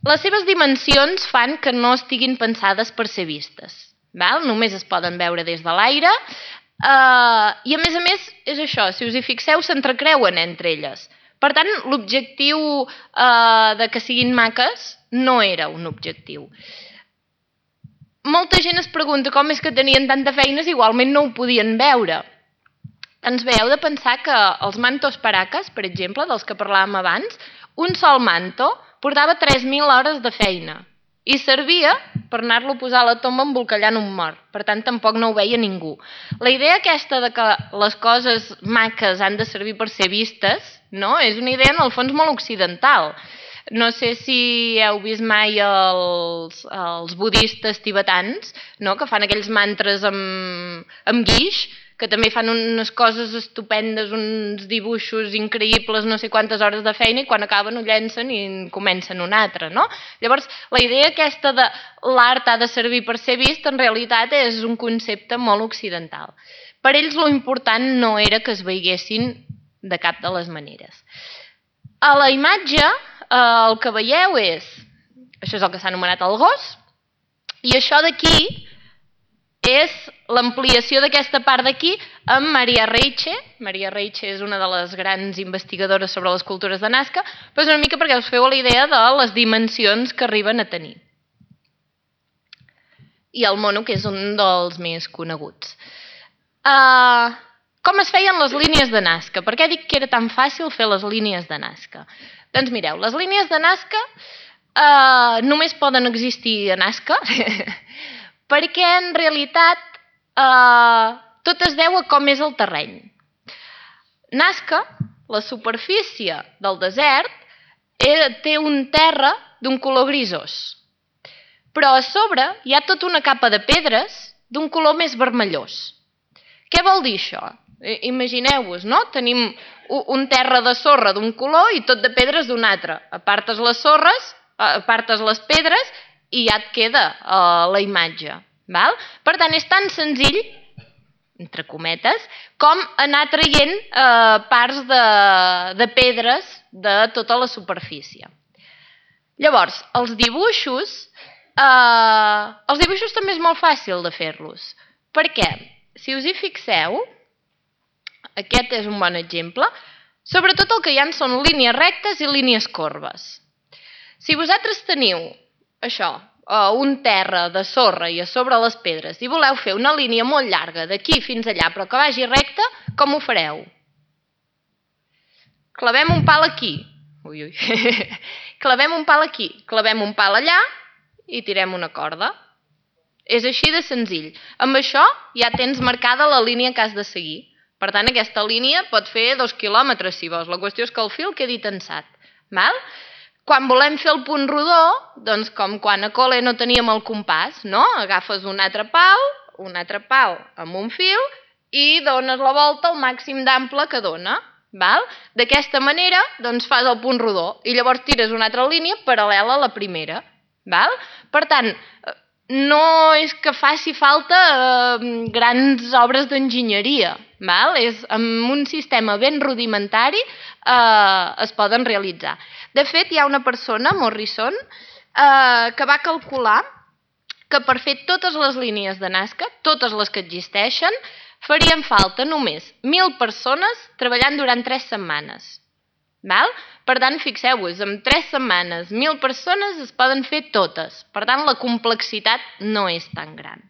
Les seves dimensions fan que no estiguin pensades per ser vistes. Només es poden veure des de l'aire i, a més, és això, si us hi fixeu, s'entrecreuen entre elles. Per tant, l'objectiu de que siguin maques no era un objectiu. Molta gent es pregunta com és que tenien tanta feina si igualment no ho podien veure. Doncs bé, heu de pensar que els mantos paracas, per exemple, dels que parlàvem abans, un sol manto portava 3.000 hores de feina i servia per anar-lo a posar a la tomba embolcallant un mort. Per tant, tampoc no ho veia ningú. La idea aquesta de que les coses maques han de servir per ser vistes, no? És una idea, en el fons, molt occidental. No sé si heu vist mai els budistes tibetans, que fan aquells mantres amb guix, que també fan unes coses estupendes, uns dibuixos increïbles, no sé quantes hores de feina, i quan acaben ho llencen i comencen un altre. Llavors, la idea aquesta de l'art ha de servir per ser vist, en realitat és un concepte molt occidental. Per ells l'important no era que es veiessin de cap de les maneres. A la imatge, el que veieu és, això és el que s'ha anomenat el gos, i això d'aquí és l'ampliació d'aquesta part d'aquí amb Maria Reiche. Maria Reiche és una de les grans investigadores sobre les cultures de Nazca, però és una mica perquè us feu la idea de les dimensions que arriben a tenir. I el mono, que és un dels més coneguts. Com es feien les línies de Nazca? Per què dic que era tan fàcil fer les línies de Nazca? Doncs mireu, les línies de Nazca només poden existir a Nazca perquè en realitat tot es deu a com és el terreny. Nazca, la superfície del desert, té un terra d'un color grisós, però a sobre hi ha tota una capa de pedres d'un color més vermellós. Què vol dir això? Imagineu-vos, no? Tenim un terra de sorra d'un color i tot de pedres d'un altre. Apartes les sorres, apartes les pedres i ja et queda la imatge. Per tant, és tan senzill, entre cometes, com anar traient parts de pedres de tota la superfície. Llavors, els dibuixos també és molt fàcil de fer-los. Per què? Si us hi fixeu, aquest és un bon exemple, sobretot el que hi ha són línies rectes i línies corbes. Si vosaltres teniu això, un terra de sorra i a sobre les pedres i voleu fer una línia molt llarga d'aquí fins allà però que vagi recta, com ho fareu? Clavem un pal aquí, clavem un pal aquí, clavem un pal allà i tirem una corda. És així de senzill. Amb això ja tens marcada la línia que has de seguir. Per tant, aquesta línia pot fer 2 quilòmetres si vols. La qüestió és que el fil quedi tensat. Quan volem fer el punt rodó, doncs com quan a col·le no teníem el compàs, no? Agafes un altre pal amb un fil i dones la volta al màxim d'ample que dona. D'aquesta manera doncs fas el punt rodó i llavors tires una altra línia paral·lela a la primera. Per tant, no és que faci falta grans obres d'enginyeria. Amb un sistema ben rudimentari es poden realitzar. De fet, hi ha una persona, Morrison, que va calcular que per fer totes les línies de Nazca, totes les que existeixen, farien falta només 1.000 persones treballant durant 3 setmanes. Per tant, fixeu-vos, en 3 setmanes, 1.000 persones es poden fer totes. Per tant, la complexitat no és tan gran.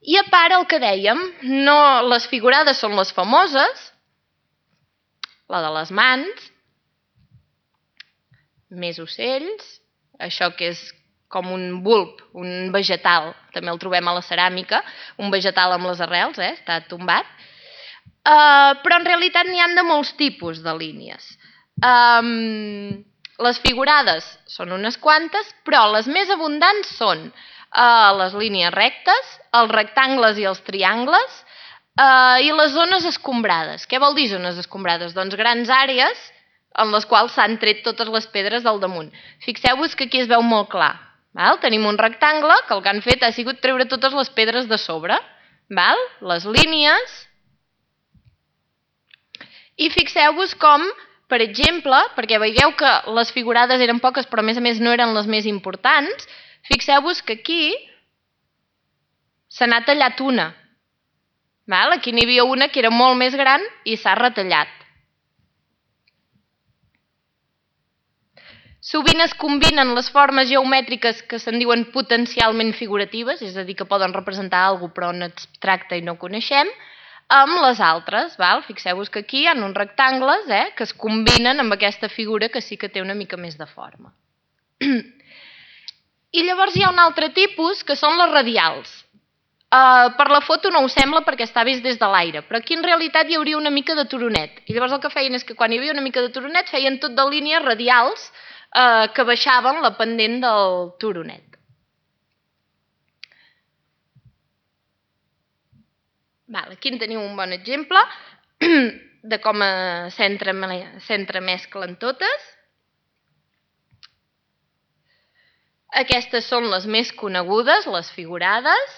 I a part, el que dèiem, les figurades són les famoses, la de les mans, més ocells, això que és com un bulb, un vegetal, també el trobem a la ceràmica, un vegetal amb les arrels, està tombat, però en realitat n'hi han de molts tipus de línies. Les figurades són unes quantes, però les més abundants són les línies rectes, els rectangles i els triangles, i les zones escombrades. Què vol dir zones escombrades? Doncs grans àrees en les quals s'han tret totes les pedres del damunt. Fixeu-vos que aquí es veu molt clar. Tenim un rectangle que el que han fet ha sigut treure totes les pedres de sobre. Les línies. I fixeu-vos com, per exemple, perquè veieu que les figurades eren poques però a més no eren les més importants, fixeu-vos que aquí se n'ha tallat una. Aquí n'hi havia una que era molt més gran i s'ha retallat. Sovint es combinen les formes geomètriques que se'n diuen potencialment figuratives, és a dir, que poden representar alguna cosa però en abstracte i no coneixem, amb les altres. Fixeu-vos que aquí hi ha uns rectangles que es combinen amb aquesta figura que sí que té una mica més de forma. I llavors hi ha un altre tipus, que són les radials. Per la foto no ho sembla perquè està vist des de l'aire, però aquí en realitat hi hauria una mica de turonet. I llavors el que feien és que quan hi havia una mica de turonet feien tot de línies radials que baixaven la pendent del turonet. Aquí en teniu un bon exemple de com s'entremesclen totes. Aquestes són les més conegudes, les figurades.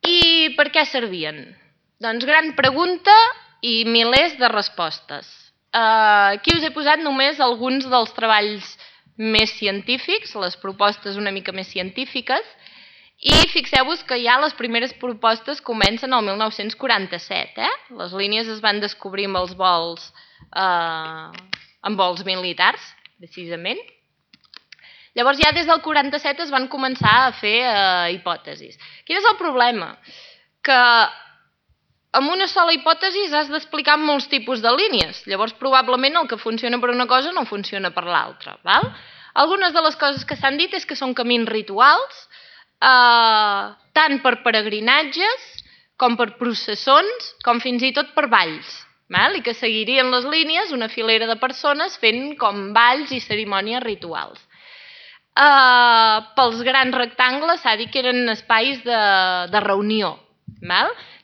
I per què servien? Doncs gran pregunta i milers de respostes. Aquí us he posat només alguns dels treballs més científics, les propostes una mica més científiques, i fixeu-vos que ja les primeres propostes comencen el 1947. Les línies es van descobrir amb els vols militars, precisament. Llavors ja des del 47 es van començar a fer hipòtesis. Quin és el problema? Que amb una sola hipòtesi has d'explicar molts tipus de línies. Llavors probablement el que funciona per una cosa no funciona per l'altra. Algunes de les coses que s'han dit és que són camins rituals, tant per peregrinatges com per processons, com fins i tot per balls. I que seguirien les línies una filera de persones fent com balls i cerimònies rituals. Pels grans rectangles s'ha dit que eren espais de reunió.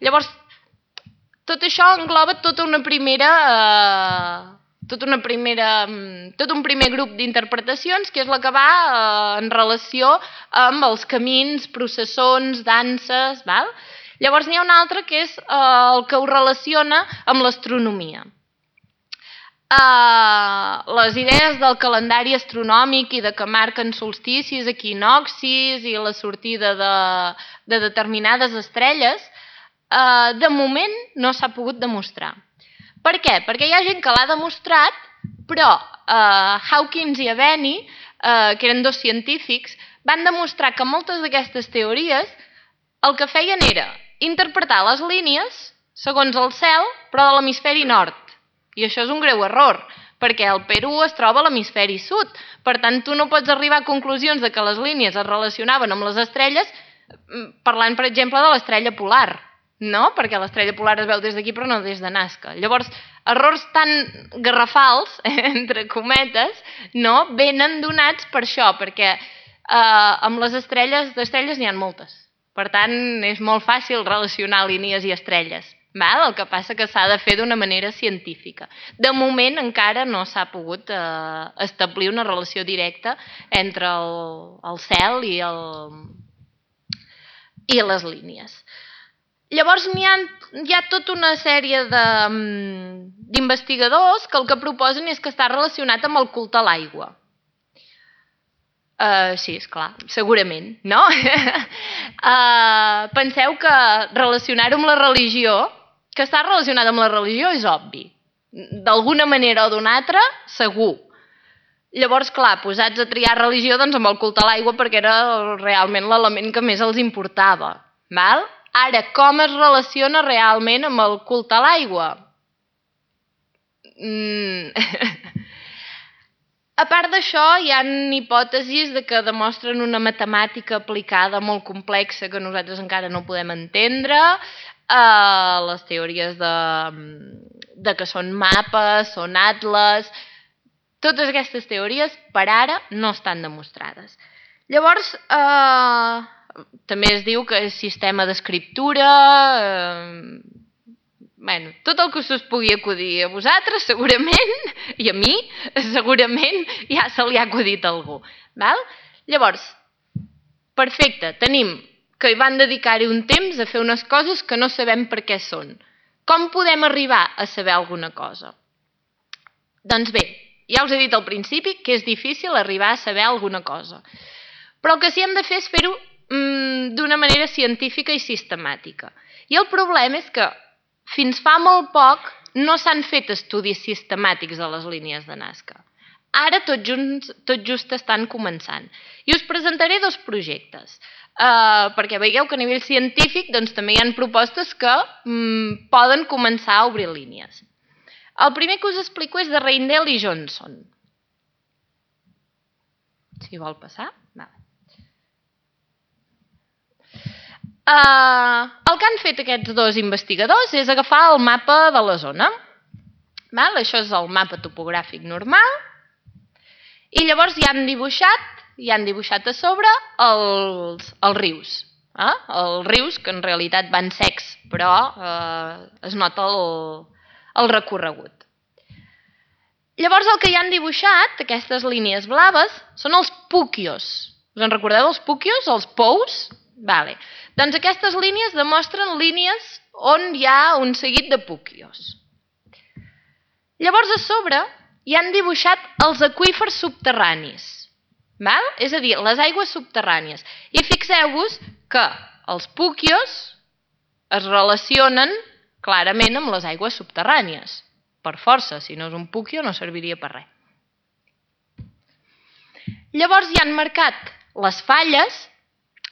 Llavors, tot això engloba tot un primer grup d'interpretacions, que és la que va en relació amb els camins, processons, danses. Llavors n'hi ha un altre que és el que ho relaciona amb l'astronomia. Les idees del calendari astronòmic i de que marquen solsticis, equinoccis i la sortida de determinades estrelles, de moment no s'ha pogut demostrar. Per què? Perquè hi ha gent que l'ha demostrat, però Hawkins i Aveni, que eren dos científics, van demostrar que moltes d'aquestes teories el que feien era interpretar les línies segons el cel, però de l'hemisferi nord. I això és un greu error, perquè el Perú es troba a l'hemisferi sud. Per tant, tu no pots arribar a conclusions de que les línies es relacionaven amb les estrelles parlant, per exemple, de l'estrella polar. No, perquè l'estrella polar es veu des d'aquí però no des de Nazca. Llavors, errors tan garrafals, entre cometes, no, venen donats per això, perquè amb les estrelles, d'estrelles n'hi ha moltes. Per tant, és molt fàcil relacionar línies i estrelles. El que passa que s'ha de fer d'una manera científica. De moment encara no s'ha pogut establir una relació directa entre el cel i les línies. Llavors hi ha tota una sèrie d'investigadors que el que proposen és que està relacionat amb el culte a l'aigua. Sí, esclar, segurament, no? Penseu que relacionar-ho amb la religió, que està relacionat amb la religió és obvi. D'alguna manera o d'una altra, segur. Llavors, clar, posats a triar religió, doncs amb el culte a l'aigua, perquè era realment l'element que més els importava. Val? Ara, com es relaciona realment amb el culte a l'aigua? A part d'això, hi ha hipòtesis que demostren una matemàtica aplicada molt complexa que nosaltres encara no podem entendre, les teories de que són mapes, són atles. Totes aquestes teories, per ara, no estan demostrades. Llavors, també es diu que és sistema d'escriptura, tot el que us pugui acudir a vosaltres, segurament, i a mi, segurament, ja se li ha acudit a algú. Llavors, perfecte, tenim que van dedicar-hi un temps a fer unes coses que no sabem per què són. Com podem arribar a saber alguna cosa? Doncs bé, ja us he dit al principi que és difícil arribar a saber alguna cosa. Però el que sí que hem de fer és fer-ho d'una manera científica i sistemàtica. I el problema és que fins fa molt poc no s'han fet estudis sistemàtics de les línies de Nazca. Ara tot just estan començant. I us presentaré dos projectes, perquè veieu que a nivell científic també hi ha propostes que poden començar a obrir línies. El primer que us explico és de Reindel i Johnson. Si vol passar. El que han fet aquests dos investigadors és agafar el mapa de la zona. Això és el mapa topogràfic normal. I llavors hi han dibuixat a sobre els rius. Els rius que en realitat van secs, però es nota el recorregut. Llavors el que hi han dibuixat, aquestes línies blaves, són els pukios. Us en recordeu dels pukios, els pous? Doncs aquestes línies demostren línies on hi ha un seguit de pukios. Llavors a sobre hi han dibuixat els aqüífers subterranis, és a dir, les aigües subterrànies. I fixeu-vos que els pukios es relacionen clarament amb les aigües subterrànies. Per força, si no és un pukio no serviria per res. Llavors hi han marcat les falles.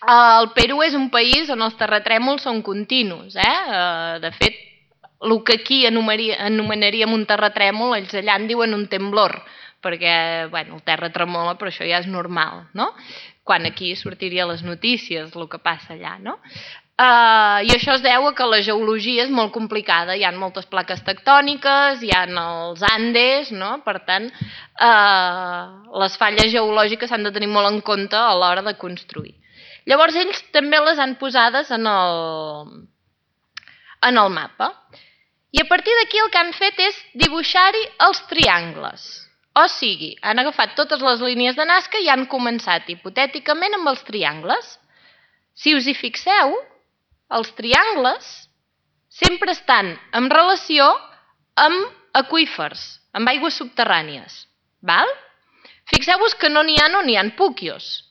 El Perú és un país on els terratrèmols són continus. De fet, el que aquí anomenaríem un terratrèmol, ells allà en diuen un temblor, perquè el terra tremola, però això ja és normal, no? Quan aquí sortiria a les notícies el que passa allà, no? I això es deu a que la geologia és molt complicada, hi ha moltes plaques tectòniques, hi ha els Andes, no? Per tant, les falles geològiques s'han de tenir molt en compte a l'hora de construir. Llavors ells també les han posades en el mapa. I a partir d'aquí el que han fet és dibuixar-hi els triangles. O sigui, han agafat totes les línies de Nazca i han començat hipotèticament amb els triangles. Si us hi fixeu, els triangles sempre estan en relació amb aqüífers, amb aigües subterrànies. Fixeu-vos que no n'hi ha on hi ha pukios,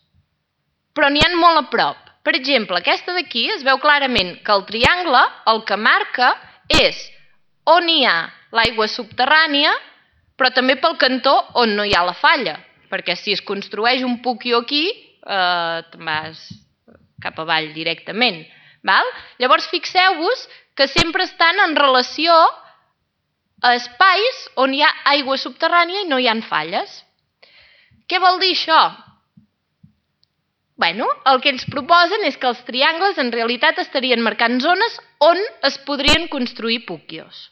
però n'hi ha molt a prop. Per exemple, aquesta d'aquí es veu clarament que el triangle el que marca és on hi ha l'aigua subterrània, però també pel cantó on no hi ha la falla, perquè si es construeix un pukio aquí, te'n vas cap avall directament. Llavors fixeu-vos que sempre estan en relació a espais on hi ha aigua subterrània i no hi ha falles. Què vol dir això? El que ells proposen és que els triangles en realitat estarien marcant zones on es podrien construir pukios.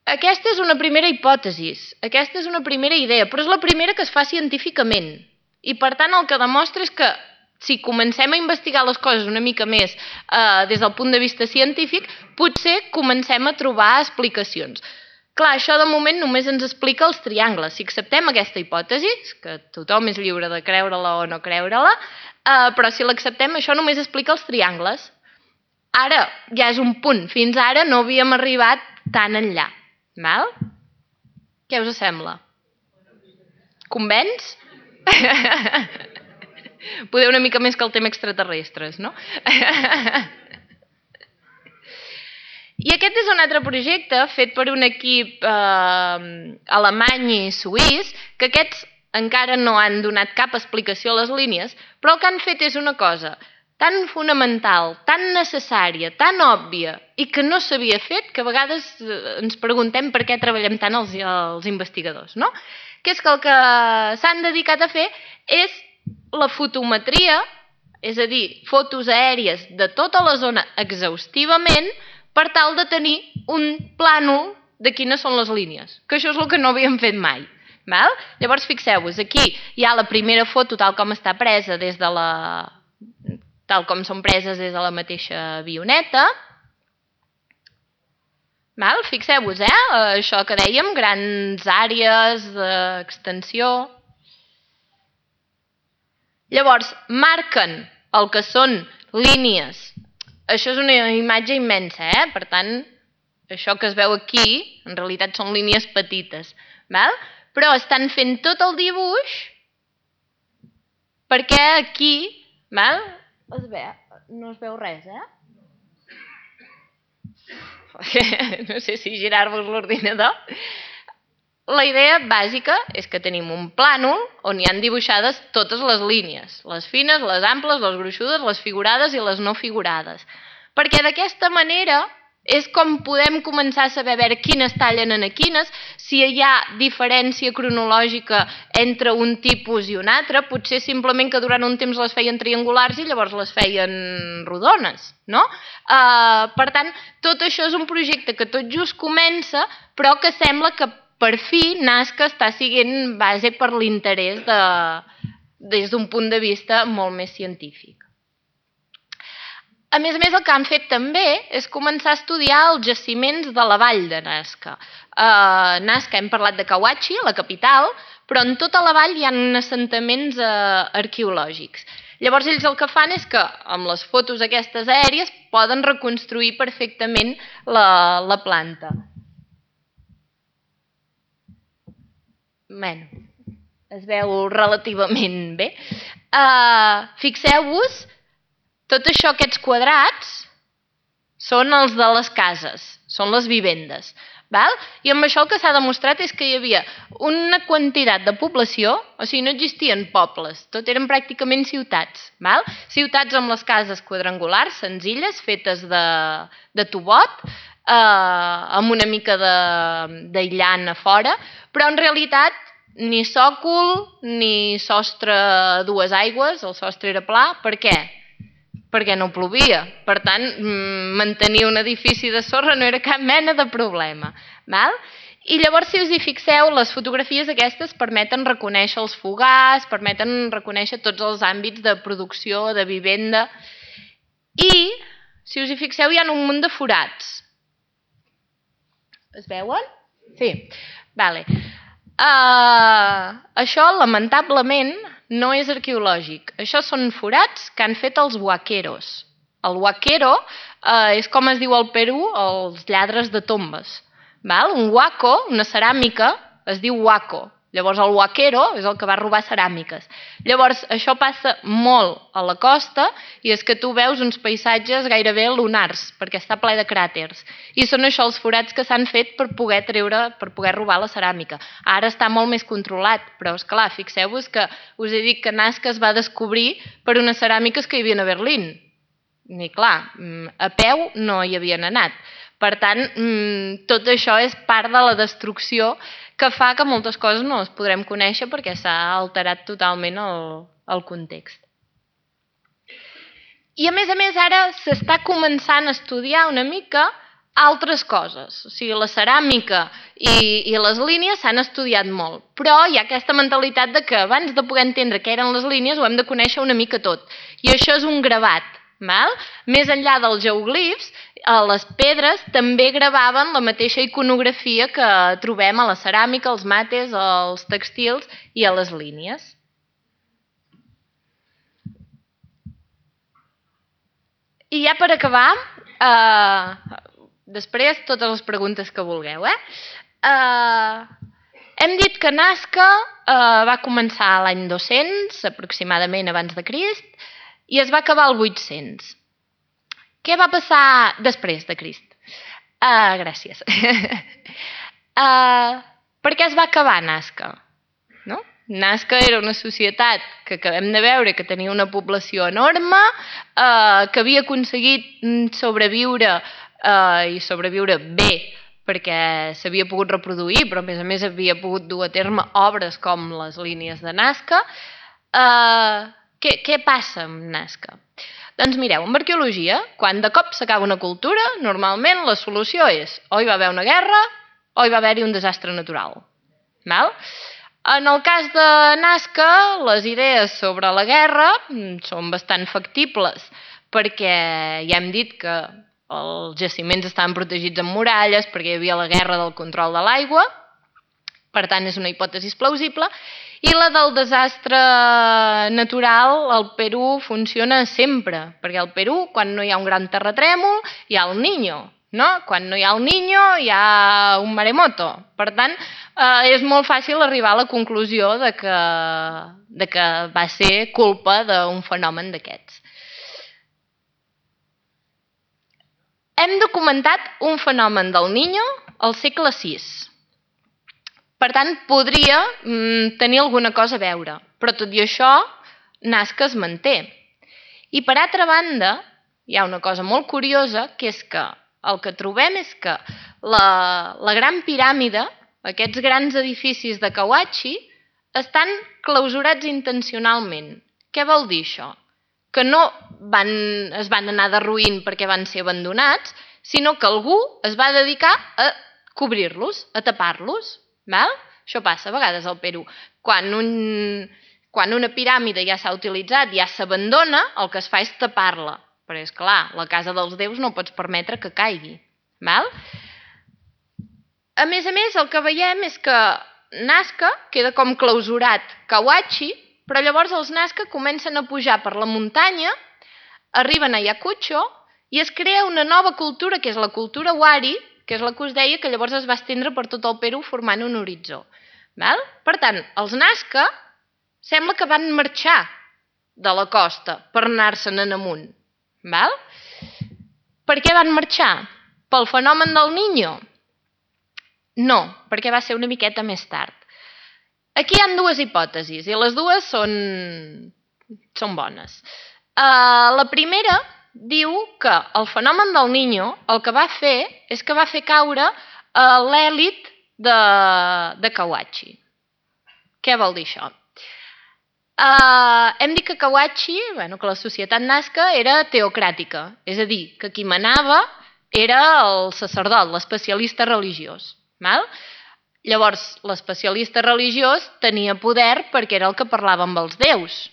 Aquesta és una primera hipòtesi, aquesta és una primera idea, però és la primera que es fa científicament. I per tant el que demostra és que si comencem a investigar les coses una mica més des del punt de vista científic, potser comencem a trobar explicacions. Clar, això de moment només ens explica els triangles. Si acceptem aquesta hipòtesi, que tothom és lliure de creure-la o no creure-la, però si l'acceptem, això només explica els triangles. Ara ja és un punt. Fins ara no havíem arribat tan enllà. Què us sembla? Convenç? Poder una mica més que el tema extraterrestres, no? I aquest és un altre projecte fet per un equip alemany i suís, que aquests encara no han donat cap explicació a les línies, però el que han fet és una cosa tan fonamental, tan necessària, tan òbvia i que no s'havia fet, que a vegades ens preguntem per què treballem tant els investigadors, no? Que és que el que s'han dedicat a fer és la fotometria, és a dir, fotos aèries de tota la zona exhaustivament per tal de tenir un plànol de quines són les línies, que això és el que no havíem fet mai. Val? Llavors, fixeu-vos, aquí hi ha la primera foto tal com està presa des de tal com són preses des de la mateixa avioneta. Val? Fixeu-vos, això que dèiem, grans àrees d'extensió. Llavors, marquen el que són línies. Això és una imatge immensa, per tant, això que es veu aquí, en realitat són línies petites. Val? Però estan fent tot el dibuix perquè aquí, val? No es veu res, No sé si girar-vos l'ordinador. La idea bàsica és que tenim un plànol on hi han dibuixades totes les línies, les fines, les amples, les gruixudes, les figurades i les no figurades. Perquè d'aquesta manera és com podem començar a saber a veure quines tallen en quines, si hi ha diferència cronològica entre un tipus i un altre, potser simplement que durant un temps les feien triangulars i llavors les feien rodones, no? Per tant, tot això és un projecte que tot just comença, però que sembla que per fi Nazca està sent base per l'interès des d'un punt de vista molt més científic. A més, el que han fet també és començar a estudiar els jaciments de la vall de Nazca. Nazca, hem parlat de Kawachi, la capital, però en tota la vall hi ha assentaments arqueològics. Llavors ells el que fan és que amb les fotos aquestes aèries poden reconstruir perfectament la planta. Bé, es veu relativament bé. Fixeu-vos, tot això, aquests quadrats, són els de les cases, són les vivendes. I amb això el que s'ha demostrat és que hi havia una quantitat de població, o sigui, no existien pobles, tot eren pràcticament ciutats. Ciutats amb les cases quadrangulars, senzilles, fetes de tubot, amb una mica d'aïllant a fora, però en realitat ni sòcol ni sostre a dues aigües, el sostre era pla. Per què? Perquè no plovia. Per tant, mantenir un edifici de sorra no era cap mena de problema. I llavors, si us hi fixeu, les fotografies aquestes permeten reconèixer els fogars, permeten reconèixer tots els àmbits de producció, de vivenda. I, si us hi fixeu, hi ha un munt de forats. Es veuen? Sí. Això, lamentablement, no és arqueològic. Això són forats que han fet els huaqueros. El huaquero és com es diu al Perú els lladres de tombes. Un huaco, una ceràmica, es diu huaco. Llavors el huaquero és el que va robar ceràmiques. Llavors això passa molt a la costa i és que tu veus uns paisatges gairebé lunars perquè està ple de cràters. I són això els forats que s'han fet per poder robar la ceràmica. Ara està molt més controlat, però esclar, fixeu-vos que us he dit que Nazca es va descobrir per unes ceràmiques que hi havia a Berlín. I clar, a peu no hi havien anat. Per tant, tot això és part de la destrucció que fa que moltes coses no les podrem conèixer perquè s'ha alterat totalment el context. I a més, ara s'està començant a estudiar una mica altres coses. O sigui, la ceràmica i les línies s'han estudiat molt, però hi ha aquesta mentalitat de que abans de poder entendre què eren les línies ho hem de conèixer una mica tot. I això és un gravat. Més enllà dels geoglifs, les pedres també gravaven la mateixa iconografia que trobem a la ceràmica, als mates, als textils i a les línies. I ja per acabar, després totes les preguntes que vulgueu. Hem dit que Nazca va començar l'any 200, aproximadament abans de Crist, i es va acabar al 800. Què va passar després de Crist? Gràcies. Per què es va acabar Nazca? No? Nazca era una societat que acabem de veure que tenia una població enorme, que havia aconseguit sobreviure i sobreviure bé perquè s'havia pogut reproduir, però a més havia pogut dur a terme obres com les línies de Nazca. Què passa amb Nazca? Doncs mireu, en arqueologia, quan de cop s'acaba una cultura, normalment la solució és o hi va haver una guerra o hi va haver-hi un desastre natural. En el cas de Nazca, les idees sobre la guerra són bastant factibles, perquè ja hem dit que els jaciments estaven protegits amb muralles, perquè hi havia la guerra del control de l'aigua, per tant és una hipòtesi plausible, i la del desastre natural al Perú funciona sempre, perquè al Perú, quan no hi ha un gran terratrèmol, hi ha el Niño, no? Quan no hi ha el Niño, hi ha un maremoto. Per tant, és molt fàcil arribar a la conclusió de que va ser culpa d'un fenomen d'aquests. Hem documentat un fenomen del Niño al segle VI. Per tant, podria tenir alguna cosa a veure, però tot i això, Nazca es manté. I per altra banda, hi ha una cosa molt curiosa, que és que el que trobem és que la Gran Piràmide, aquests grans edificis de Cahuachi, estan clausurats intencionalment. Què vol dir això? Que no es van anar derruint perquè van ser abandonats, sinó que algú es va dedicar a cobrir-los, a tapar-los. Això passa a vegades al Perú. Quan una piràmide ja s'ha utilitzat, ja s'abandona, el que es fa és tapar-la. Però és clar, la casa dels déus no pots permetre que caigui. A més, el que veiem és que Nazca queda com clausurat Cahuachi, però llavors els Nazca comencen a pujar per la muntanya, arriben a Ayacucho i es crea una nova cultura, que és la cultura Wari, que és la que us deia que llavors es va estendre per tot el Perú formant un horitzó. Per tant, els Nazca sembla que van marxar de la costa per anar-se'n en amunt. Per què van marxar? Pel fenomen del Niño? No, perquè va ser una miqueta més tard. Aquí hi ha dues hipòtesis i les dues són bones. La primera diu que el fenomen del Niño el que va fer és que va fer caure l'èlit de Cahuachi. Què vol dir això? Hem dit que Cahuachi, que la societat Nazca era teocràtica, és a dir, que qui manava era el sacerdot, l'especialista religiós. Llavors, l'especialista religiós tenia poder perquè era el que parlava amb els déus.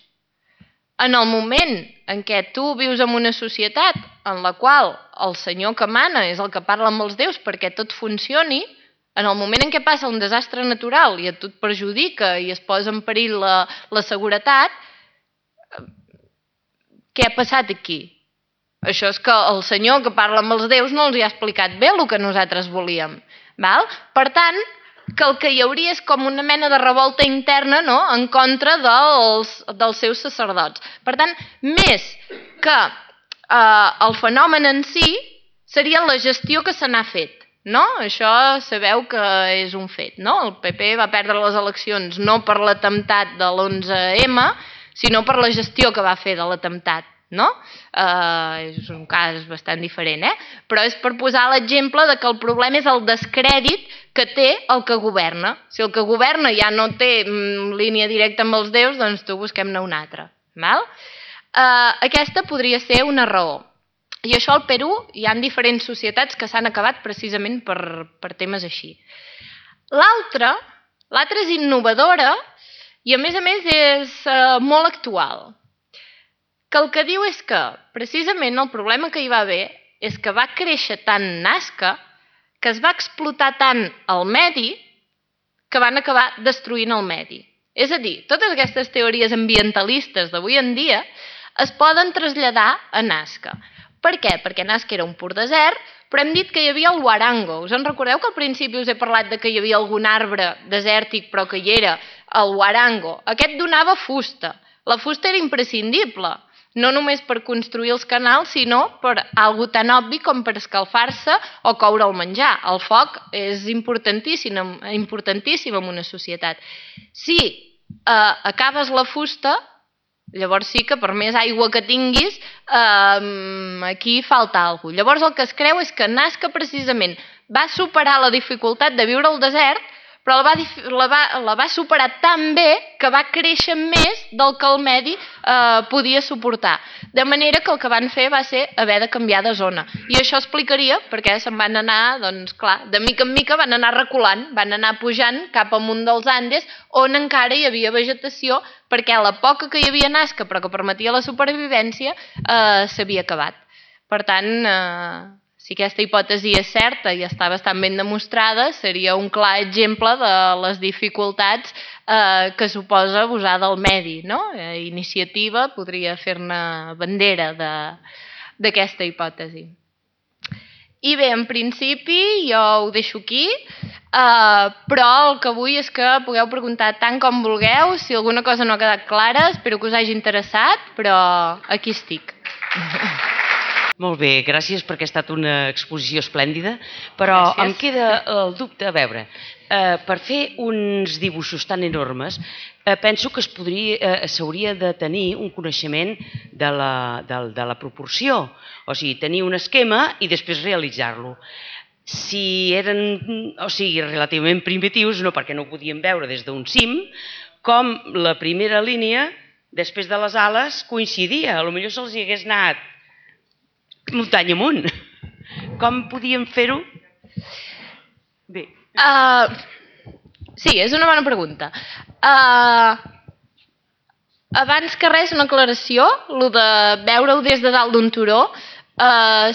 En el moment en què tu vius en una societat en la qual el senyor que mana és el que parla amb els déus perquè tot funcioni, en el moment en què passa un desastre natural i a tu et perjudica i es posa en perill la seguretat, què ha passat aquí? Això és que el senyor que parla amb els déus no els ha explicat bé el que nosaltres volíem. Per tant, que el que hi hauria és com una mena de revolta interna en contra dels seus sacerdots. Per tant, més que el fenomen en si, seria la gestió que se n'ha fet. Això sabeu que és un fet. El PP va perdre les eleccions no per l'atemptat de l'11M, sinó per la gestió que va fer de l'atemptat. És un cas bastant diferent, però és per posar l'exemple que el problema és el descrèdit que té el que governa. Si el que governa ja no té línia directa amb els déus, doncs tu busquem-ne una altra. Aquesta podria ser una raó. I això al Perú hi ha diferents societats que s'han acabat precisament per temes així. L'altra és innovadora i a més és molt actual. Que el que diu és que precisament el problema que hi va haver és que va créixer tant Nazca que es va explotar tant el medi que van acabar destruint el medi. És a dir, totes aquestes teories ambientalistes d'avui en dia es poden traslladar a Nazca. Per què? Perquè Nazca era un pur desert, però hem dit que hi havia el huarango. Us en recordeu que al principi us he parlat que hi havia algun arbre desèrtic però que hi era el huarango? Aquest donava fusta. La fusta era imprescindible. no només per construir els canals, sinó per algo tan obvi com per escalfar-se o coure el menjar. El foc és importantíssim en una societat. Si acabes la fusta, llavors sí que per més aigua que tinguis, aquí falta alguna cosa. Llavors el que es creu és que Nazca precisament va superar la dificultat de viure al desert, però la va superar tan bé que va créixer més del que el medi podia suportar. De manera que el que van fer va ser haver de canviar de zona. I això explicaria perquè se'n van anar, doncs clar, de mica en mica van anar reculant, van anar pujant cap amunt dels Andes, on encara hi havia vegetació, perquè la poca que hi havia Nazca, però que permetia la supervivència, s'havia acabat. Per tant, si aquesta hipòtesi és certa i està bastant ben demostrada, seria un clar exemple de les dificultats que suposa abusar del medi. Iniciativa podria fer-ne bandera d'aquesta hipòtesi. I bé, en principi jo ho deixo aquí, però el que vull és que pugueu preguntar tant com vulgueu. Si alguna cosa no ha quedat clara, espero que us hagi interessat, però aquí estic.
Molt bé, gràcies perquè ha estat una exposició esplèndida, però em queda el dubte, a veure, per fer uns dibuixos tan enormes, penso que s'hauria de tenir un coneixement de la proporció, o sigui, tenir un esquema i després realitzar-lo. Si eren relativament primitius, no perquè no ho podíem veure des d'un cim, com la primera línia, després de les ales, coincidia, potser se'ls hi hagués anat muntanya amunt. Com podíem fer-ho? Bé.
Sí, és una bona pregunta. Abans que res, una aclaració, el de veure-ho des de dalt d'un turó,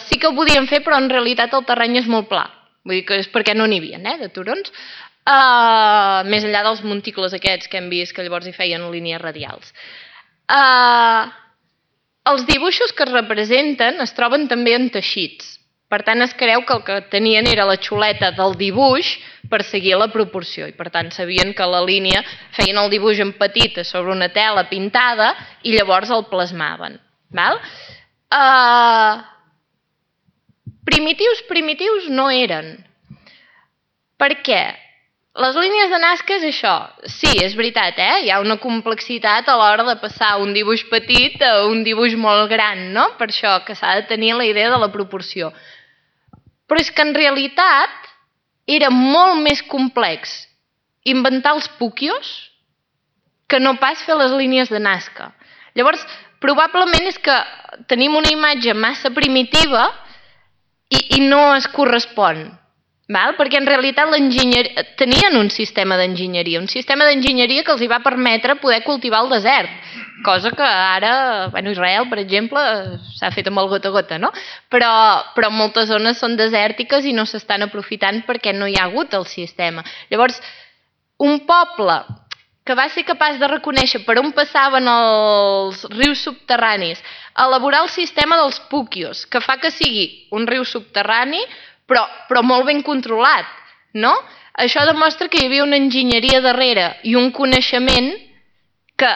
sí que ho podíem fer, però en realitat el terreny és molt pla. Vull dir que és perquè no n'hi havia, de turons. Més enllà dels monticles aquests que hem vist, que llavors hi feien línies radials. Els dibuixos que es representen es troben també en teixits. Per tant, es creu que el que tenien era la xuleta del dibuix per seguir la proporció. I per tant, sabien que la línia feien el dibuix en petit sobre una tela pintada i llavors el plasmaven. Primitius no eren. Per què? Les línies de Nazca és això. Sí, és veritat, hi ha una complexitat a l'hora de passar un dibuix petit a un dibuix molt gran, no? Per això que s'ha de tenir la idea de la proporció. Però és que en realitat era molt més complex inventar els puquios que no pas fer les línies de Nazca. Llavors, probablement és que tenim una imatge massa primitiva i no es correspon. Perquè en realitat tenien un sistema d'enginyeria que els hi va permetre poder cultivar el desert, cosa que ara, Israel, per exemple, s'ha fet amb el gota a gota, no? Però moltes zones són desèrtiques i no s'estan aprofitant perquè no hi ha hagut el sistema. Llavors, un poble que va ser capaç de reconèixer per on passaven els rius subterranis, elaborar el sistema dels puquios, que fa que sigui un riu subterrani però molt ben controlat, no? Això demostra que hi havia una enginyeria darrere i un coneixement que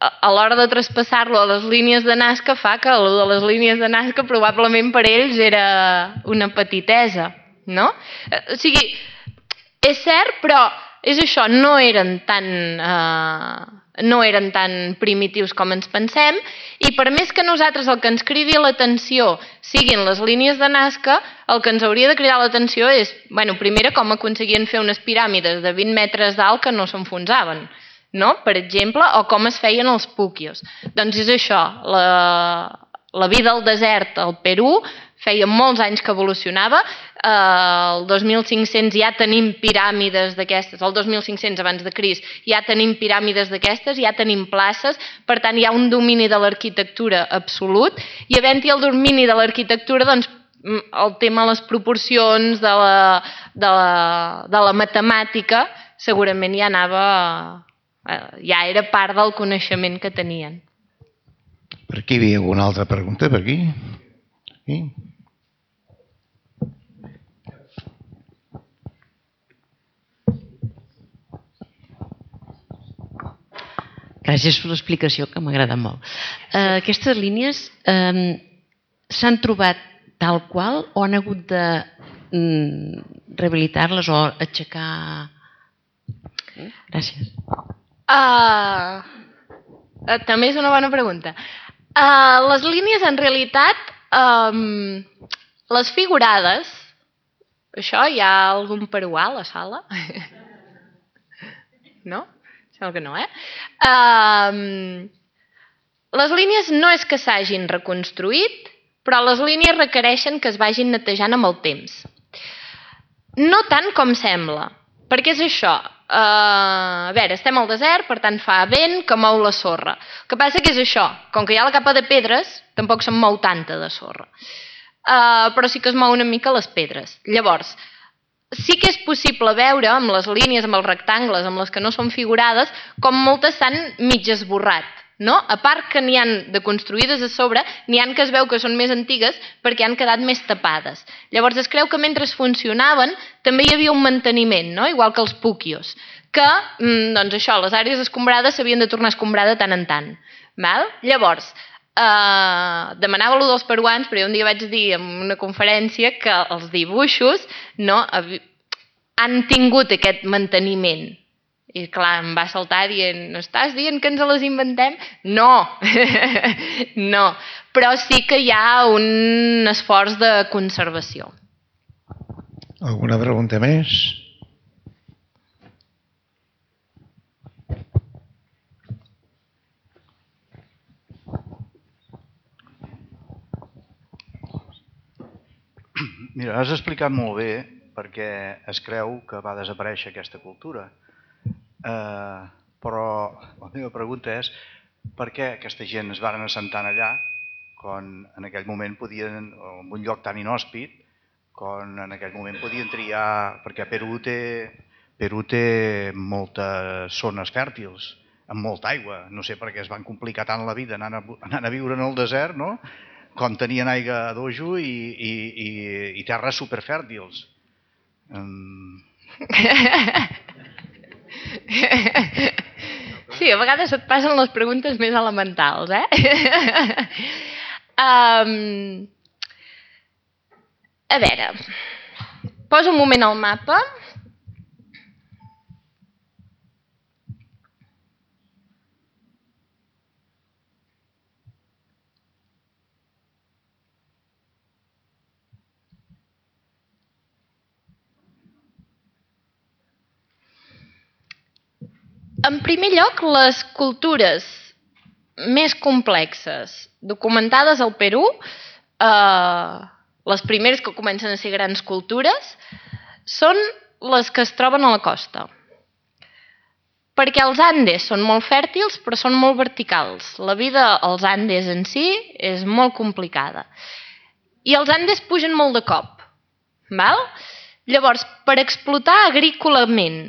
a l'hora de traspassar-lo a les línies de Nazca fa que el de les línies de Nazca probablement per ells era una petitesa, no? O sigui, és cert, però és això, no eren tan primitius com ens pensem, i per més que nosaltres el que ens cridi l'atenció siguin les línies de Nazca, el que ens hauria de cridar l'atenció és, primera, com aconseguien fer unes piràmides de 20 metres d'alt que no s'enfonsaven, no? Per exemple, o com es feien els puquios. Doncs és això, la vida al desert al Perú feia molts anys que evolucionava, el 2500 ja tenim piràmides d'aquestes, el 2500 abans de Crist ja tenim piràmides d'aquestes, ja tenim places, per tant hi ha un domini de l'arquitectura absolut, i havent-hi el domini de l'arquitectura, doncs el tema de les proporcions, de la matemàtica, segurament ja era part del coneixement que tenien.
Per aquí hi havia alguna altra pregunta? Per aquí? Sí?
Gràcies per l'explicació, que m'agrada molt. Aquestes línies s'han trobat tal qual o han hagut de rehabilitar-les o aixecar? Gràcies.
També és una bona pregunta. Les línies, en realitat, les figurades, això hi ha algun peruà a la sala? No? Sembla que no, Les línies no és que s'hagin reconstruït, però les línies requereixen que es vagin netejant amb el temps. No tant com sembla, perquè és això. A veure, estem al desert, per tant fa vent que mou la sorra. El que passa que és això, com que hi ha la capa de pedres, tampoc se'n mou tanta de sorra. Però sí que es mou una mica les pedres. Llavors, sí que és possible veure amb les línies, amb els rectangles, amb les que no són figurades, com moltes s'han mig esborrat. No? A part que n'hi han de construïdes a sobre, n'hi han que es veu que són més antigues perquè han quedat més tapades. Llavors es creu que mentre funcionaven també hi havia un manteniment, no? Igual que els púquios, que doncs això, les àrees escombrades s'havien de tornar a escombrar de tant en tant. Val? Llavors, demanava allò dels peruans, però jo un dia vaig dir en una conferència que els dibuixos han tingut aquest manteniment. I clar, em va saltar dient, no estàs dient que ens les inventem? No, no, però sí que hi ha un esforç de conservació.
Alguna pregunta més?
Mira, has explicat molt bé perquè es creu que va desaparèixer aquesta cultura. Però la meva pregunta és per què aquesta gent es van assentant allà quan en aquell moment podien, en un lloc tan inhòspit, quan en aquell moment podien triar, perquè Perú té moltes zones fèrtils, amb molta aigua. No sé per què es van complicar tant la vida anant a viure en el desert, no? Com tenien aigua a dojo i terres superfèrtils.
Sí, a vegades et passen les preguntes més elementals, A veure, poso un moment al mapa. En primer lloc, les cultures més complexes documentades al Perú, les primeres que comencen a ser grans cultures, són les que es troben a la costa. Perquè els Andes són molt fèrtils, però són molt verticals. La vida als Andes en si és molt complicada. I els Andes pugen molt de cop. Val? Llavors, per explotar agrícolament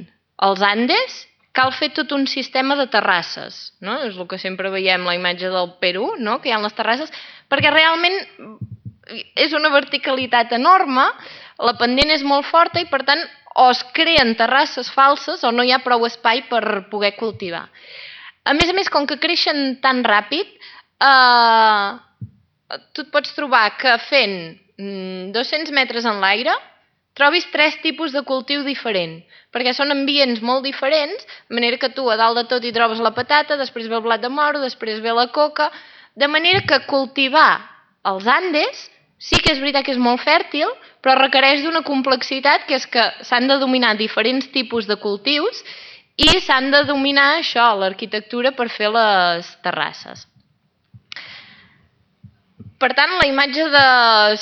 els Andes, cal fer tot un sistema de terrasses, no? És el que sempre veiem la imatge del Perú, no? Que hi ha les terrasses, perquè realment és una verticalitat enorme, la pendent és molt forta i per tant o es creen terrasses falses o no hi ha prou espai per poder cultivar. A més, com que creixen tan ràpid, tu et pots trobar que fent 200 metres en l'aire trobis 3 tipus de cultiu diferent, perquè són ambients molt diferents, de manera que tu a dalt de tot hi trobes la patata, després ve el blat de moro, després ve la coca, de manera que cultivar els Andes sí que és veritat que és molt fèrtil, però requereix d'una complexitat, que és que s'han de dominar diferents tipus de cultius i s'han de dominar això, l'arquitectura, per fer les terrasses. Per tant, la imatge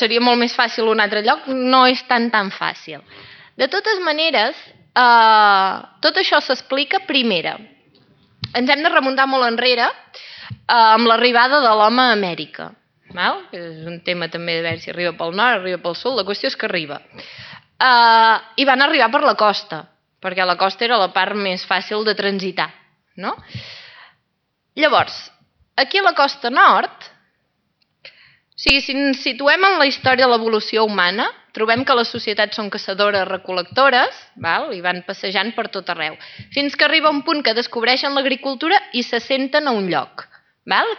seria molt més fàcil a un altre lloc, no és tan fàcil. De totes maneres, tot això s'explica primera. Ens hem de remuntar molt enrere amb l'arribada de l'home a Amèrica. És un tema també de veure si arriba pel nord, arriba pel sud, la qüestió és que arriba. I van arribar per la costa, perquè la costa era la part més fàcil de transitar. Llavors, aquí a la costa nord, sigui, si ens situem en la història de l'evolució humana, trobem que les societats són caçadores-recol·lectores, i van passejant per tot arreu, fins que arriba un punt que descobreixen l'agricultura i s'assenten a un lloc,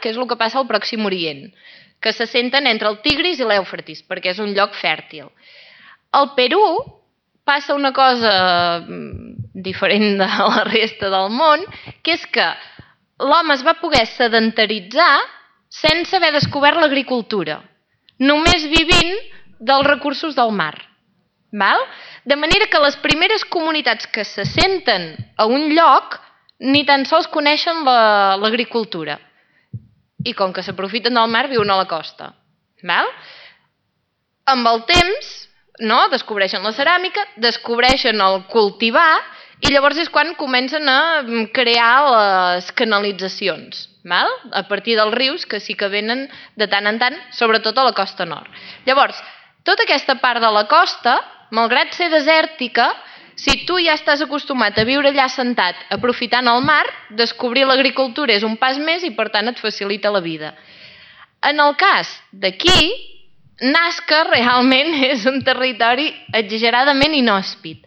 que és el que passa al Pròxim Orient, que s'assenten entre el Tigris i l'Eufratis, perquè és un lloc fèrtil. Al Perú passa una cosa diferent de la resta del món, que és que l'home es va poder sedentaritzar sense haver descobert l'agricultura, només vivint dels recursos del mar. De manera que les primeres comunitats que s'assenten a un lloc ni tan sols coneixen l'agricultura. I com que s'aprofiten del mar, viuen a la costa. Amb el temps, descobreixen la ceràmica, descobreixen el cultivar, i llavors és quan comencen a crear les canalitzacions, a partir dels rius que sí que venen de tant en tant, sobretot a la costa nord. Llavors, tota aquesta part de la costa, malgrat ser desèrtica, si tu ja estàs acostumat a viure allà sentat, aprofitant el mar, descobrir l'agricultura és un pas més i per tant et facilita la vida. En el cas d'aquí, Nazca realment és un territori exageradament inhòspit.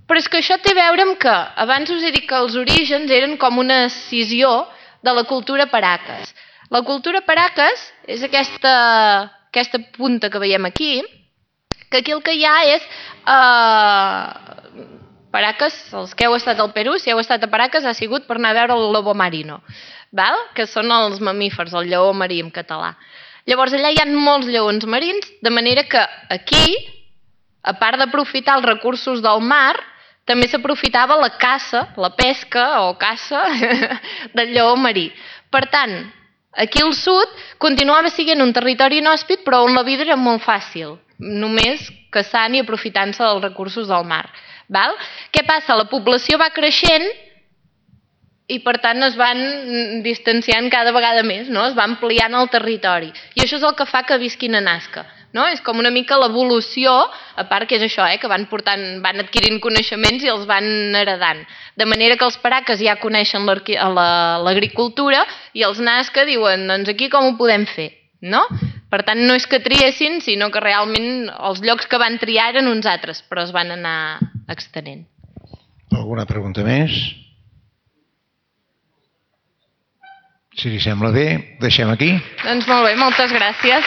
Però és que això té a veure amb que, abans us he dit que els orígens eren com una escissió de la cultura Paracas. La cultura Paracas és aquesta punta que veiem aquí, que aquí el que hi ha és Paracas, els que heu estat al Perú, si heu estat a Paracas ha sigut per anar a veure el lobo marino, que són els mamífers, el lleó marí en català. Llavors allà hi ha molts lleons marins, de manera que aquí, a part d'aprofitar els recursos del mar, també s'aprofitava la caça, la pesca o caça del lleó marí. Per tant, aquí al sud continuava sent un territori inhòspit, però on la vida era molt fàcil, només caçant i aprofitant-se dels recursos del mar. Què passa? La població va creixent i per tant es van distanciant cada vegada més, es va ampliant el territori. I això és el que fa que visquin a Nazca. És com una mica l'evolució, a part que és això, que van adquirint coneixements i els van heredant. De manera que els Paracas ja coneixen l'agricultura i els Nazca diuen, doncs aquí com ho podem fer? Per tant, no és que triessin, sinó que realment els llocs que van triar eren uns altres, però es van anar extenent.
Alguna pregunta més? Si li sembla bé, deixem aquí.
Doncs molt bé, moltes gràcies.